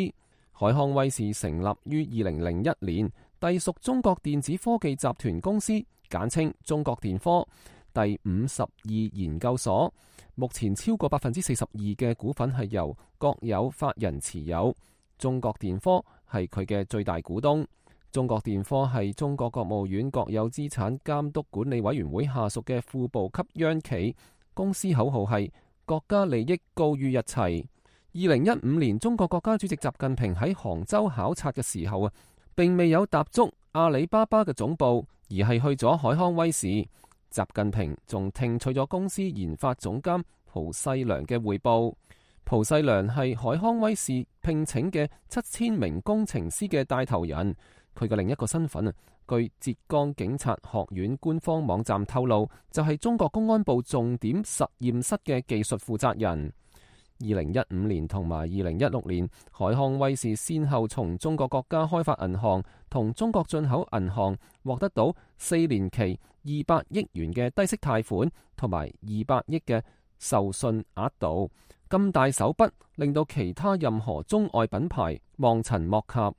海康威視成立於2001年，隸屬中國電子科技集團公司，簡稱中國電科。第52研究所目前超過42%嘅股份係由國有法人持有，中國電科係佢嘅最大股東。中國電科係中國國務院國有資產監督管理委員會下屬嘅副部級央企，公司口號係國家利益高於一切。2015年，中國國家主席習近平喺杭州考察嘅時候並未有踏足阿里巴巴嘅總部，而係去咗海康威視。習近平仲聽取咗公司研發總監蒲世良嘅匯報。蒲世良係海康威視聘請嘅7000名工程師嘅帶頭人。佢嘅另一個身份據浙江警察學院官方網站透露，就係中國公安部重點實驗室嘅技術負責人。2015年同埋2016年，海康威視先後從中國國家開發銀行同中國進口銀行獲得到4年期200億元嘅低息貸款，同埋200億嘅授信額度。咁大手筆令到其他任何中外品牌望塵莫及。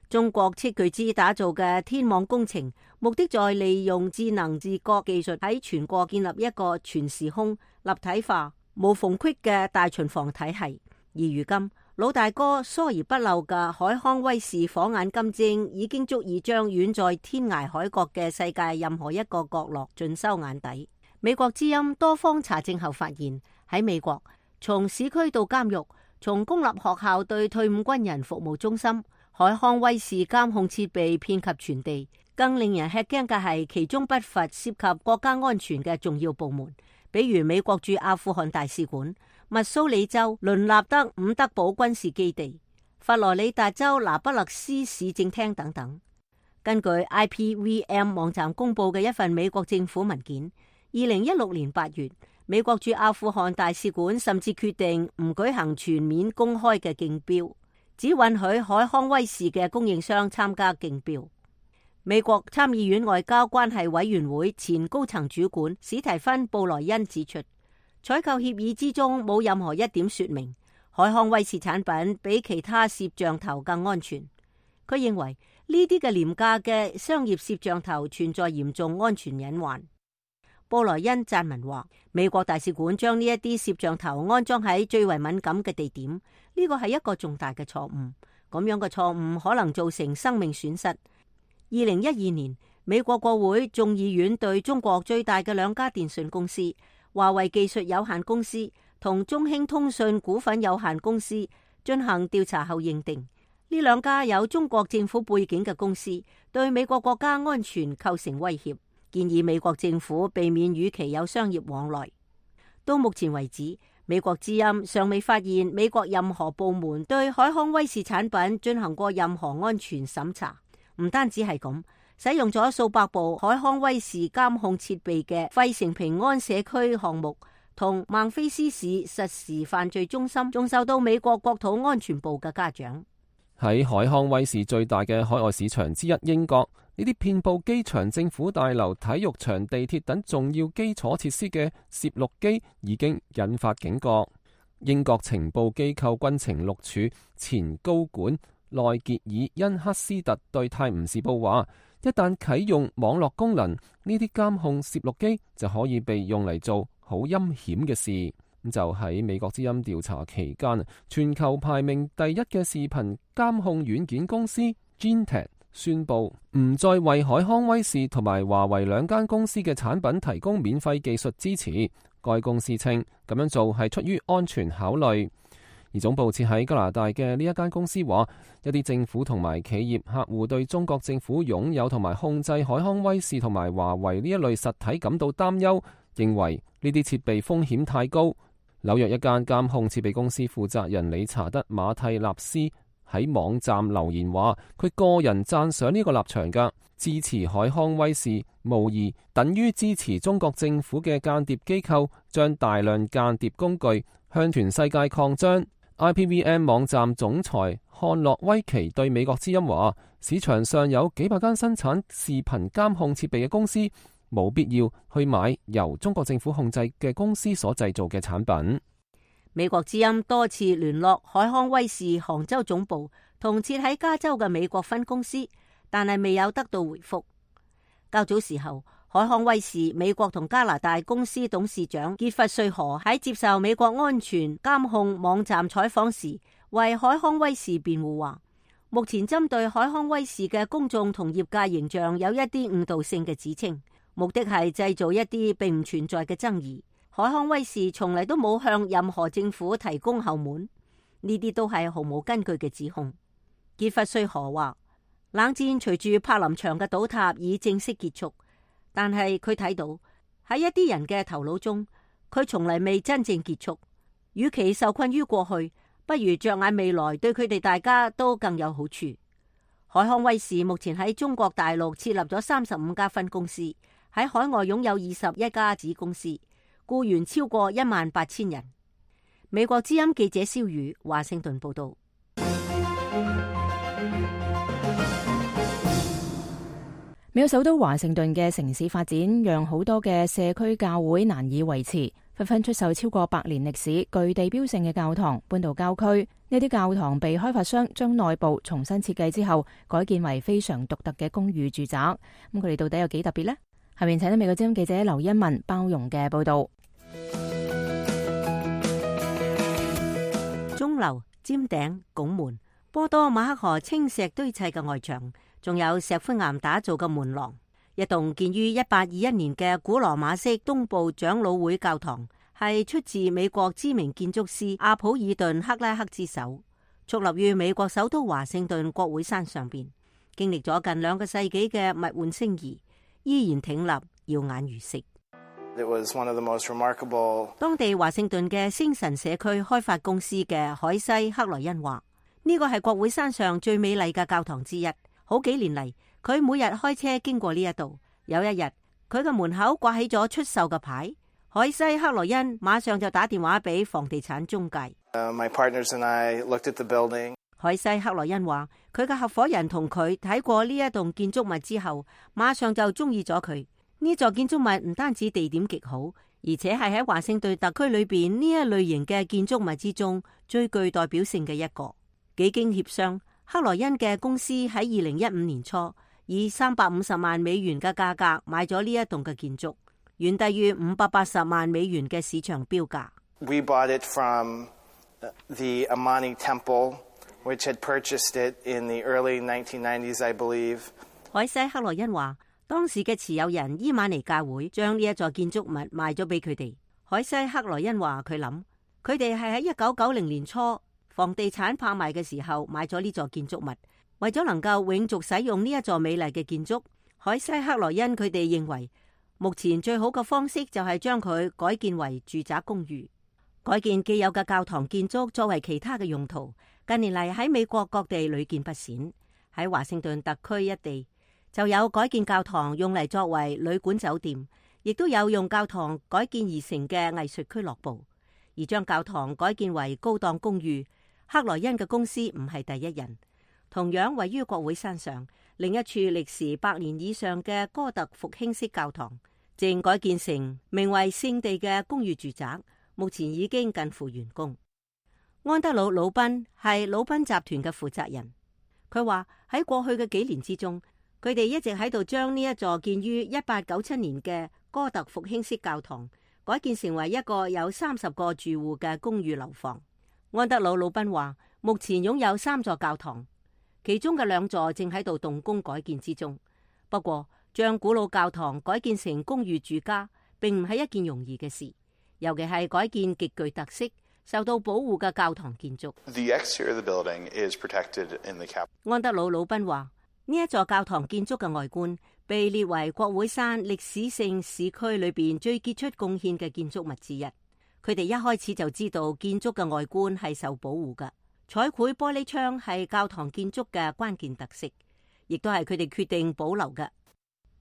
中國斥巨資打造嘅天網工程，目的在利用智能自覺技術喺全國建立一個全時空、立體化、無縫隙嘅大巡防體系。而如今，老大哥疏而不漏嘅海康威視火眼金睛，已經足以將遠在天涯海角嘅世界任何一個角落盡收眼底。美國之音多方查證後發現，喺美國，從市區到監獄，從公立學校對退伍軍人服務中心，海康威視監控設備遍及全地。更令人吃驚嘅係，其中不乏涉及國家安全嘅重要部門，比如美國駐阿富汗大使館、密蘇里州倫納德伍德堡軍事基地、佛羅里達州拿不勒斯市政廳等等。根據 IPVM 網站公布嘅一份美國政府文件，2016年8月，美國駐阿富汗大使館甚至決定唔舉行全面公開嘅競標，只允許海康威視嘅供應商參加競標。美國參議院外交關係委員會前高層主管史提芬布萊恩指出，採購協議之中冇任何一點說明海康威視產品比其他攝像頭更安全。佢認為呢啲嘅廉價嘅商業攝像頭存在嚴重安全隱患。布萊恩撰文話，美國大使館將呢一啲攝像頭安裝喺最為敏感嘅地點，呢個係一個重大嘅錯誤。咁樣嘅錯誤可能造成生命損失。2012年，美國國會眾議院對中國最大嘅兩家電信公司華為技術有限公司同中興通訊股份有限公司進行調查後認定，呢兩家有中國政府背景嘅公司對美國國家安全構成威脅，建議美國政府避免與其有商業往來。到目前為止，美國之音尚未發現美國任何部門對海康威視產品進行過任何安全審查。唔單止係咁，使用咗數百部海康威視監控設備嘅費城平安社區項目同孟菲斯市實時犯罪中心，仲受到美國國土安全部嘅嘉獎。喺海康威視最大嘅海外市場之一英國，呢啲遍佈機場、政府大樓、體育場、地鐵等重要基礎設施嘅攝錄機已經引發警覺。英國情報機構軍情六處前高管內傑爾恩克斯特對泰晤士報話，一旦啟用網絡功能，呢啲監控攝錄機就可以被用嚟做好陰險嘅事。就喺美國之音調查期間，全球排名第一嘅視頻監控軟件公司 Gentek 宣布唔再為海康威視同埋華為兩間公司嘅產品提供免費技術支持。該公司稱咁樣做係出於安全考慮。而總部設喺加拿大嘅呢一間公司話，一啲政府同埋企業客戶對中國政府擁有同埋控制海康威視同埋華為呢一類實體感到擔憂，認為呢啲設備風險太高。紐約一間監控設備公司負責人理查德馬蒂納斯喺網站留言話，佢個人讚賞呢個立場㗎，支持海康威視無疑等於支持中國政府嘅間諜機構將大量間諜工具向全世界擴張。IPVM 網站總裁漢諾威奇對美國之音話，市場上有幾百間生產視頻監控設備嘅公司，冇必要去買由中國政府控制嘅公司所製造嘅產品。美國之音多次聯絡海康威視杭州總部同設喺加州嘅美國分公司，但係未有得到回覆。較早時候，海康威視美國同加拿大公司董事長傑弗瑞河喺接受美國安全監控網站採訪時，為海康威視辯護話，目前針對海康威視嘅公眾同業界形象有一啲誤導性嘅指稱，目的係製造一啲並唔存在嘅爭議。海康威視從嚟都冇向任何政府提供後門，呢啲都係毫無根據嘅指控。傑弗瑞河話，冷戰隨住柏林牆嘅倒塌已正式結束，但係佢睇到喺一啲人嘅頭腦中，佢從嚟未真正結束。與其受困於過去，不如着眼未來，對佢哋大家都更有好處。海康威視目前喺中國大陸設立咗35家分公司，喺海外擁有21家子公司，僱員超過18000人。美國之音記者蕭宇華盛頓報道。美國首都華盛頓嘅城市發展，讓好多嘅社區教會難以維持，紛紛出售超過100年歷史、具地標性嘅教堂，搬到郊區。呢啲教堂被開發商將內部重新設計之後，改建為非常獨特嘅公寓住宅。咁佢哋到底有幾特別呢？下面請到美國之音記者劉欣文包容嘅報道。鐘樓、尖頂、拱門、波多馬克河青石堆砌嘅外牆，仲有石灰岩打造嘅門廊。一棟建於1821年嘅古羅馬式東部長老會教堂，係出自美國知名建築師阿普爾頓克拉克之手，矗立於美國首都華盛頓國會山上邊，經歷咗近2個世紀嘅物換星移，依然挺立，耀眼如昔。It was one of the most remarkable... 當地華盛頓嘅星神社區開發公司嘅海西克萊恩話，呢個係國會山上最美麗嘅教堂之一。好幾年嚟，佢每日開車經過呢一度。有一日，佢嘅門口掛起咗出售嘅牌，海西克萊恩馬上就打電話俾房地產中介。My partners and I looked at the building. 海西克萊恩話，佢嘅合夥人同佢睇過呢一棟建築物之後，馬上就中意咗佢。呢座建築物唔單止地點極好，而且係喺華盛頓特區裏邊呢一類型嘅建築物之中最具代表性嘅一個。幾經協商，克萊恩嘅公司喺2015年初以350萬美元嘅價格買咗呢一棟嘅建築，遠低於580萬美元嘅市場標價。We bought it from the Amani Temple, which had purchased it in the early 1990s, I believe. 海西克萊恩話，當時嘅持有人伊瑪尼教會將呢一座建築物賣咗俾佢哋。海西克萊恩話佢諗，佢哋係喺1990年初房地產拍賣嘅時候買咗呢座建築物，為咗能夠永續使用呢一座美麗嘅建築。海西克萊恩佢哋認為，目前最好嘅方式就係將佢改建為住宅公寓，改建既有嘅教堂建築作為其他嘅用途。近年嚟喺美國各地屢見不鮮，喺華盛頓特區一地就有改建教堂用嚟作為旅館酒店，亦都有用教堂改建而成嘅藝術俱樂部。而將教堂改建為高檔公寓，克萊恩嘅公司唔係第一人。同樣位於國會山上另一處歷時100年以上嘅哥特復興式教堂，正改建成名為聖地嘅公寓住宅，目前已經近乎完工。安德魯·魯賓係魯賓集團嘅負責人，佢話喺過去嘅幾年之中，佢哋一直喺度將呢一座建於1897年嘅哥特復興式教堂改建成為一個有30個住戶嘅公寓樓房。安德魯·魯賓話，目前擁有3座教堂，其中嘅2座正喺度動工改建之中。不過，將古老教堂改建成公寓住家，並唔係一件容易嘅事，尤其係改建極具特色、受到保護嘅教堂建築。The exterior of the building is protected in the cap. 安德魯·魯賓話，呢一座教堂建築嘅外觀被列為國會山歷史性市區裏邊最傑出貢獻嘅建築物之一。佢哋一開始就知道建築嘅外觀係受保護嘅。彩繪玻璃窗係教堂建築嘅關鍵特色，亦都係佢哋決定保留嘅。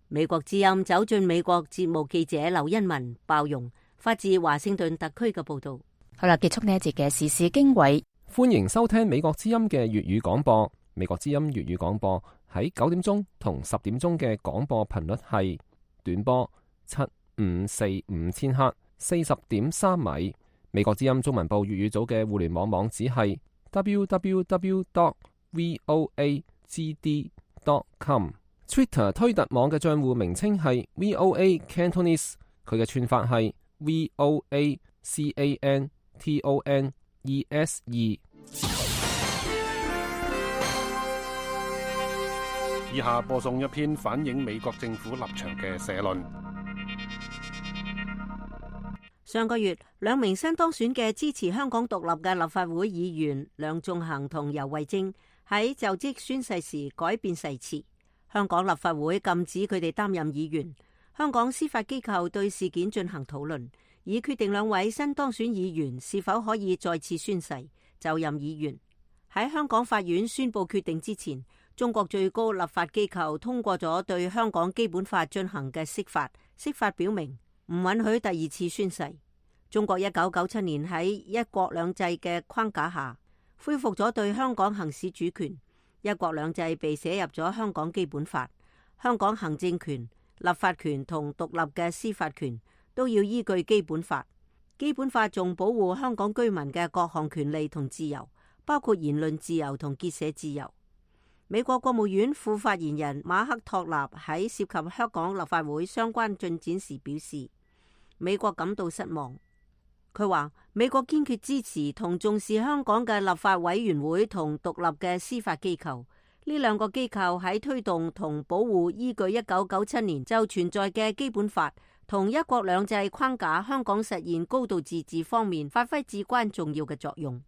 美國之音走進美國節目記者劉欣文、鮑容發自華盛頓特區嘅報道。好啦，結束呢一節嘅時事經緯。歡迎收聽美國之音嘅粵語廣播。美國之音粵語廣播喺9點鐘同10點鐘嘅廣播頻率係短波7545千赫40.3米。美國之音中文部粵語組嘅互聯網網址係www.voagd.com。Twitter 推特網嘅賬戶名稱係 VOA Cantonese， 佢嘅串法係 VOACANTONESE。以下播送一篇反映美國政府立場嘅社論。上個月，兩名新當選嘅支持香港獨立嘅立法會議員梁頌恆同游蕙禎喺就職宣誓時改變誓詞，香港立法會禁止佢哋擔任議員。香港司法機構對事件進行討論，以決定兩位新當選議員是否可以再次宣誓就任議員。喺香港法院宣布決定之前，中國最高立法機構通過咗對香港基本法進行嘅釋法，釋法表明唔允許第二次宣誓。中國1997年喺一國兩制嘅框架下恢復咗對香港行使主權，一國兩制被寫入咗香港基本法，香港行政權、立法權同獨立嘅司法權都要依據基本法。基本法仲保護香港居民嘅各項權利同自由，包括言論自由同結社自由。美國國務院副發言人馬克托納喺涉及香港立法會相關進展時表示，美國感到失望。佢話美國堅決支持同重視香港嘅立法委員會同獨立嘅司法機構，呢兩個機構喺推動同保護依據1997年就存在嘅基本法同一國兩制框架香港實現高度自治方面發揮至關重要嘅作用。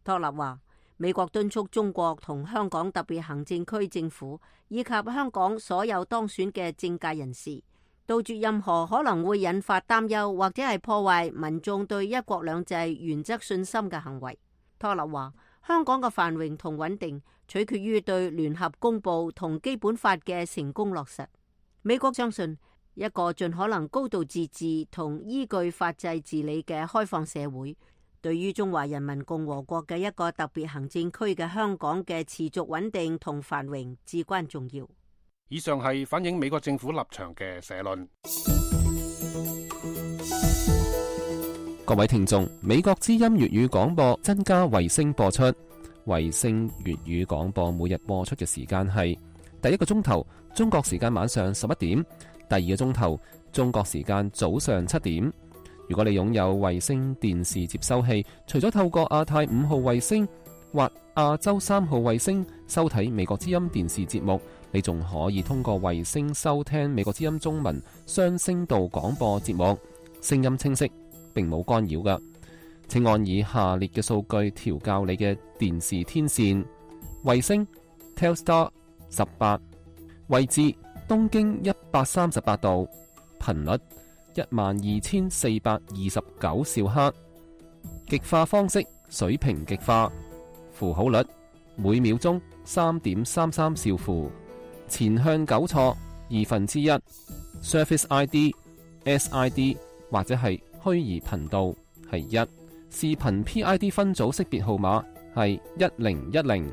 托納話，美國敦促中國同香港特別行政區政府以及香港所有當選嘅政界人士，杜絕任何可能會引發擔憂或者係破壞民眾對一國兩制原則信心嘅行為。托納話，香港嘅繁榮同穩定取決於對聯合公佈同基本法嘅成功落實。美國相信一個盡可能高度自治同依據法制治理嘅開放社會，對於中華人民共和國嘅一個特別行政區嘅香港嘅持續穩定同繁榮至關重要。以上係反映美國政府立場嘅社論。各位聽眾，美國之音粵語廣播增加衛星播出，衛星粵語廣播每日播出嘅時間係第一個鐘頭中國時間晚上11點，第二個鐘頭中國時間早上7點。如果你擁有衛星電視接收器，除咗透過亞太5號衛星或亞洲3號衛星收睇美國之音電視節目，你仲可以通過衛星收聽美國之音中文雙聲道廣播節目，聲音清晰，並冇干擾㗎。請按以下列嘅數據調校你嘅電視天線：衛星 Telstar 18，位置東經138度，頻率12429兆赫，極化方式水平極化，符號率每秒鐘3.33兆符，前向糾錯1/2， Surface ID SID 或者係虛擬頻道係1，視頻 PID 分組識別號碼係1010，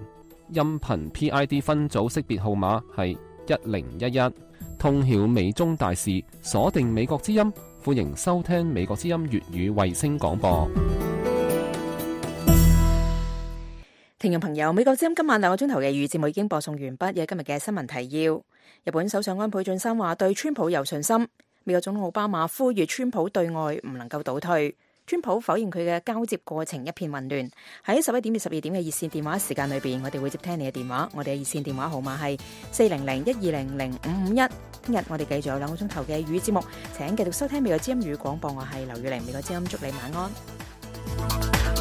音頻 PID 分組識別號碼係1011。通曉美中大事，鎖定美國之音，歡迎收聽美國之音粵語衛星廣播。聽眾朋友，美國之音今晚2個鐘頭嘅粵語節目已經播送完畢。有今日嘅新聞提要：日本首相安倍晉三話對川普有信心。美國總統奧巴馬呼籲川普對外唔能夠倒退。川普否認佢嘅交接過程一片混亂。喺11點至12點嘅熱線電話時間裏邊，我哋會接聽你嘅電話。我哋嘅熱線電話號碼係400-1200-551。聽日我哋繼續有2個鐘頭嘅粵語節目，請繼續收聽美國之音粵語廣播。我係劉雨玲，美國之音祝你晚安。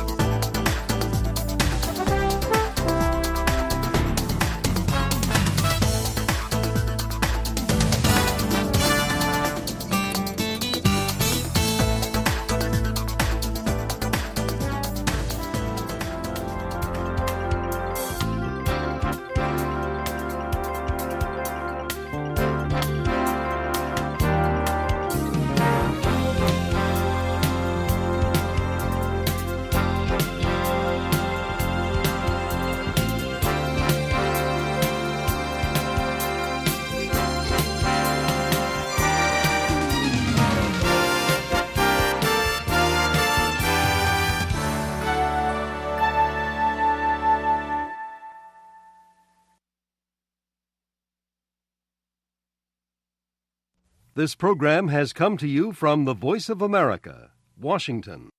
This program has come to you from the Voice of America, Washington.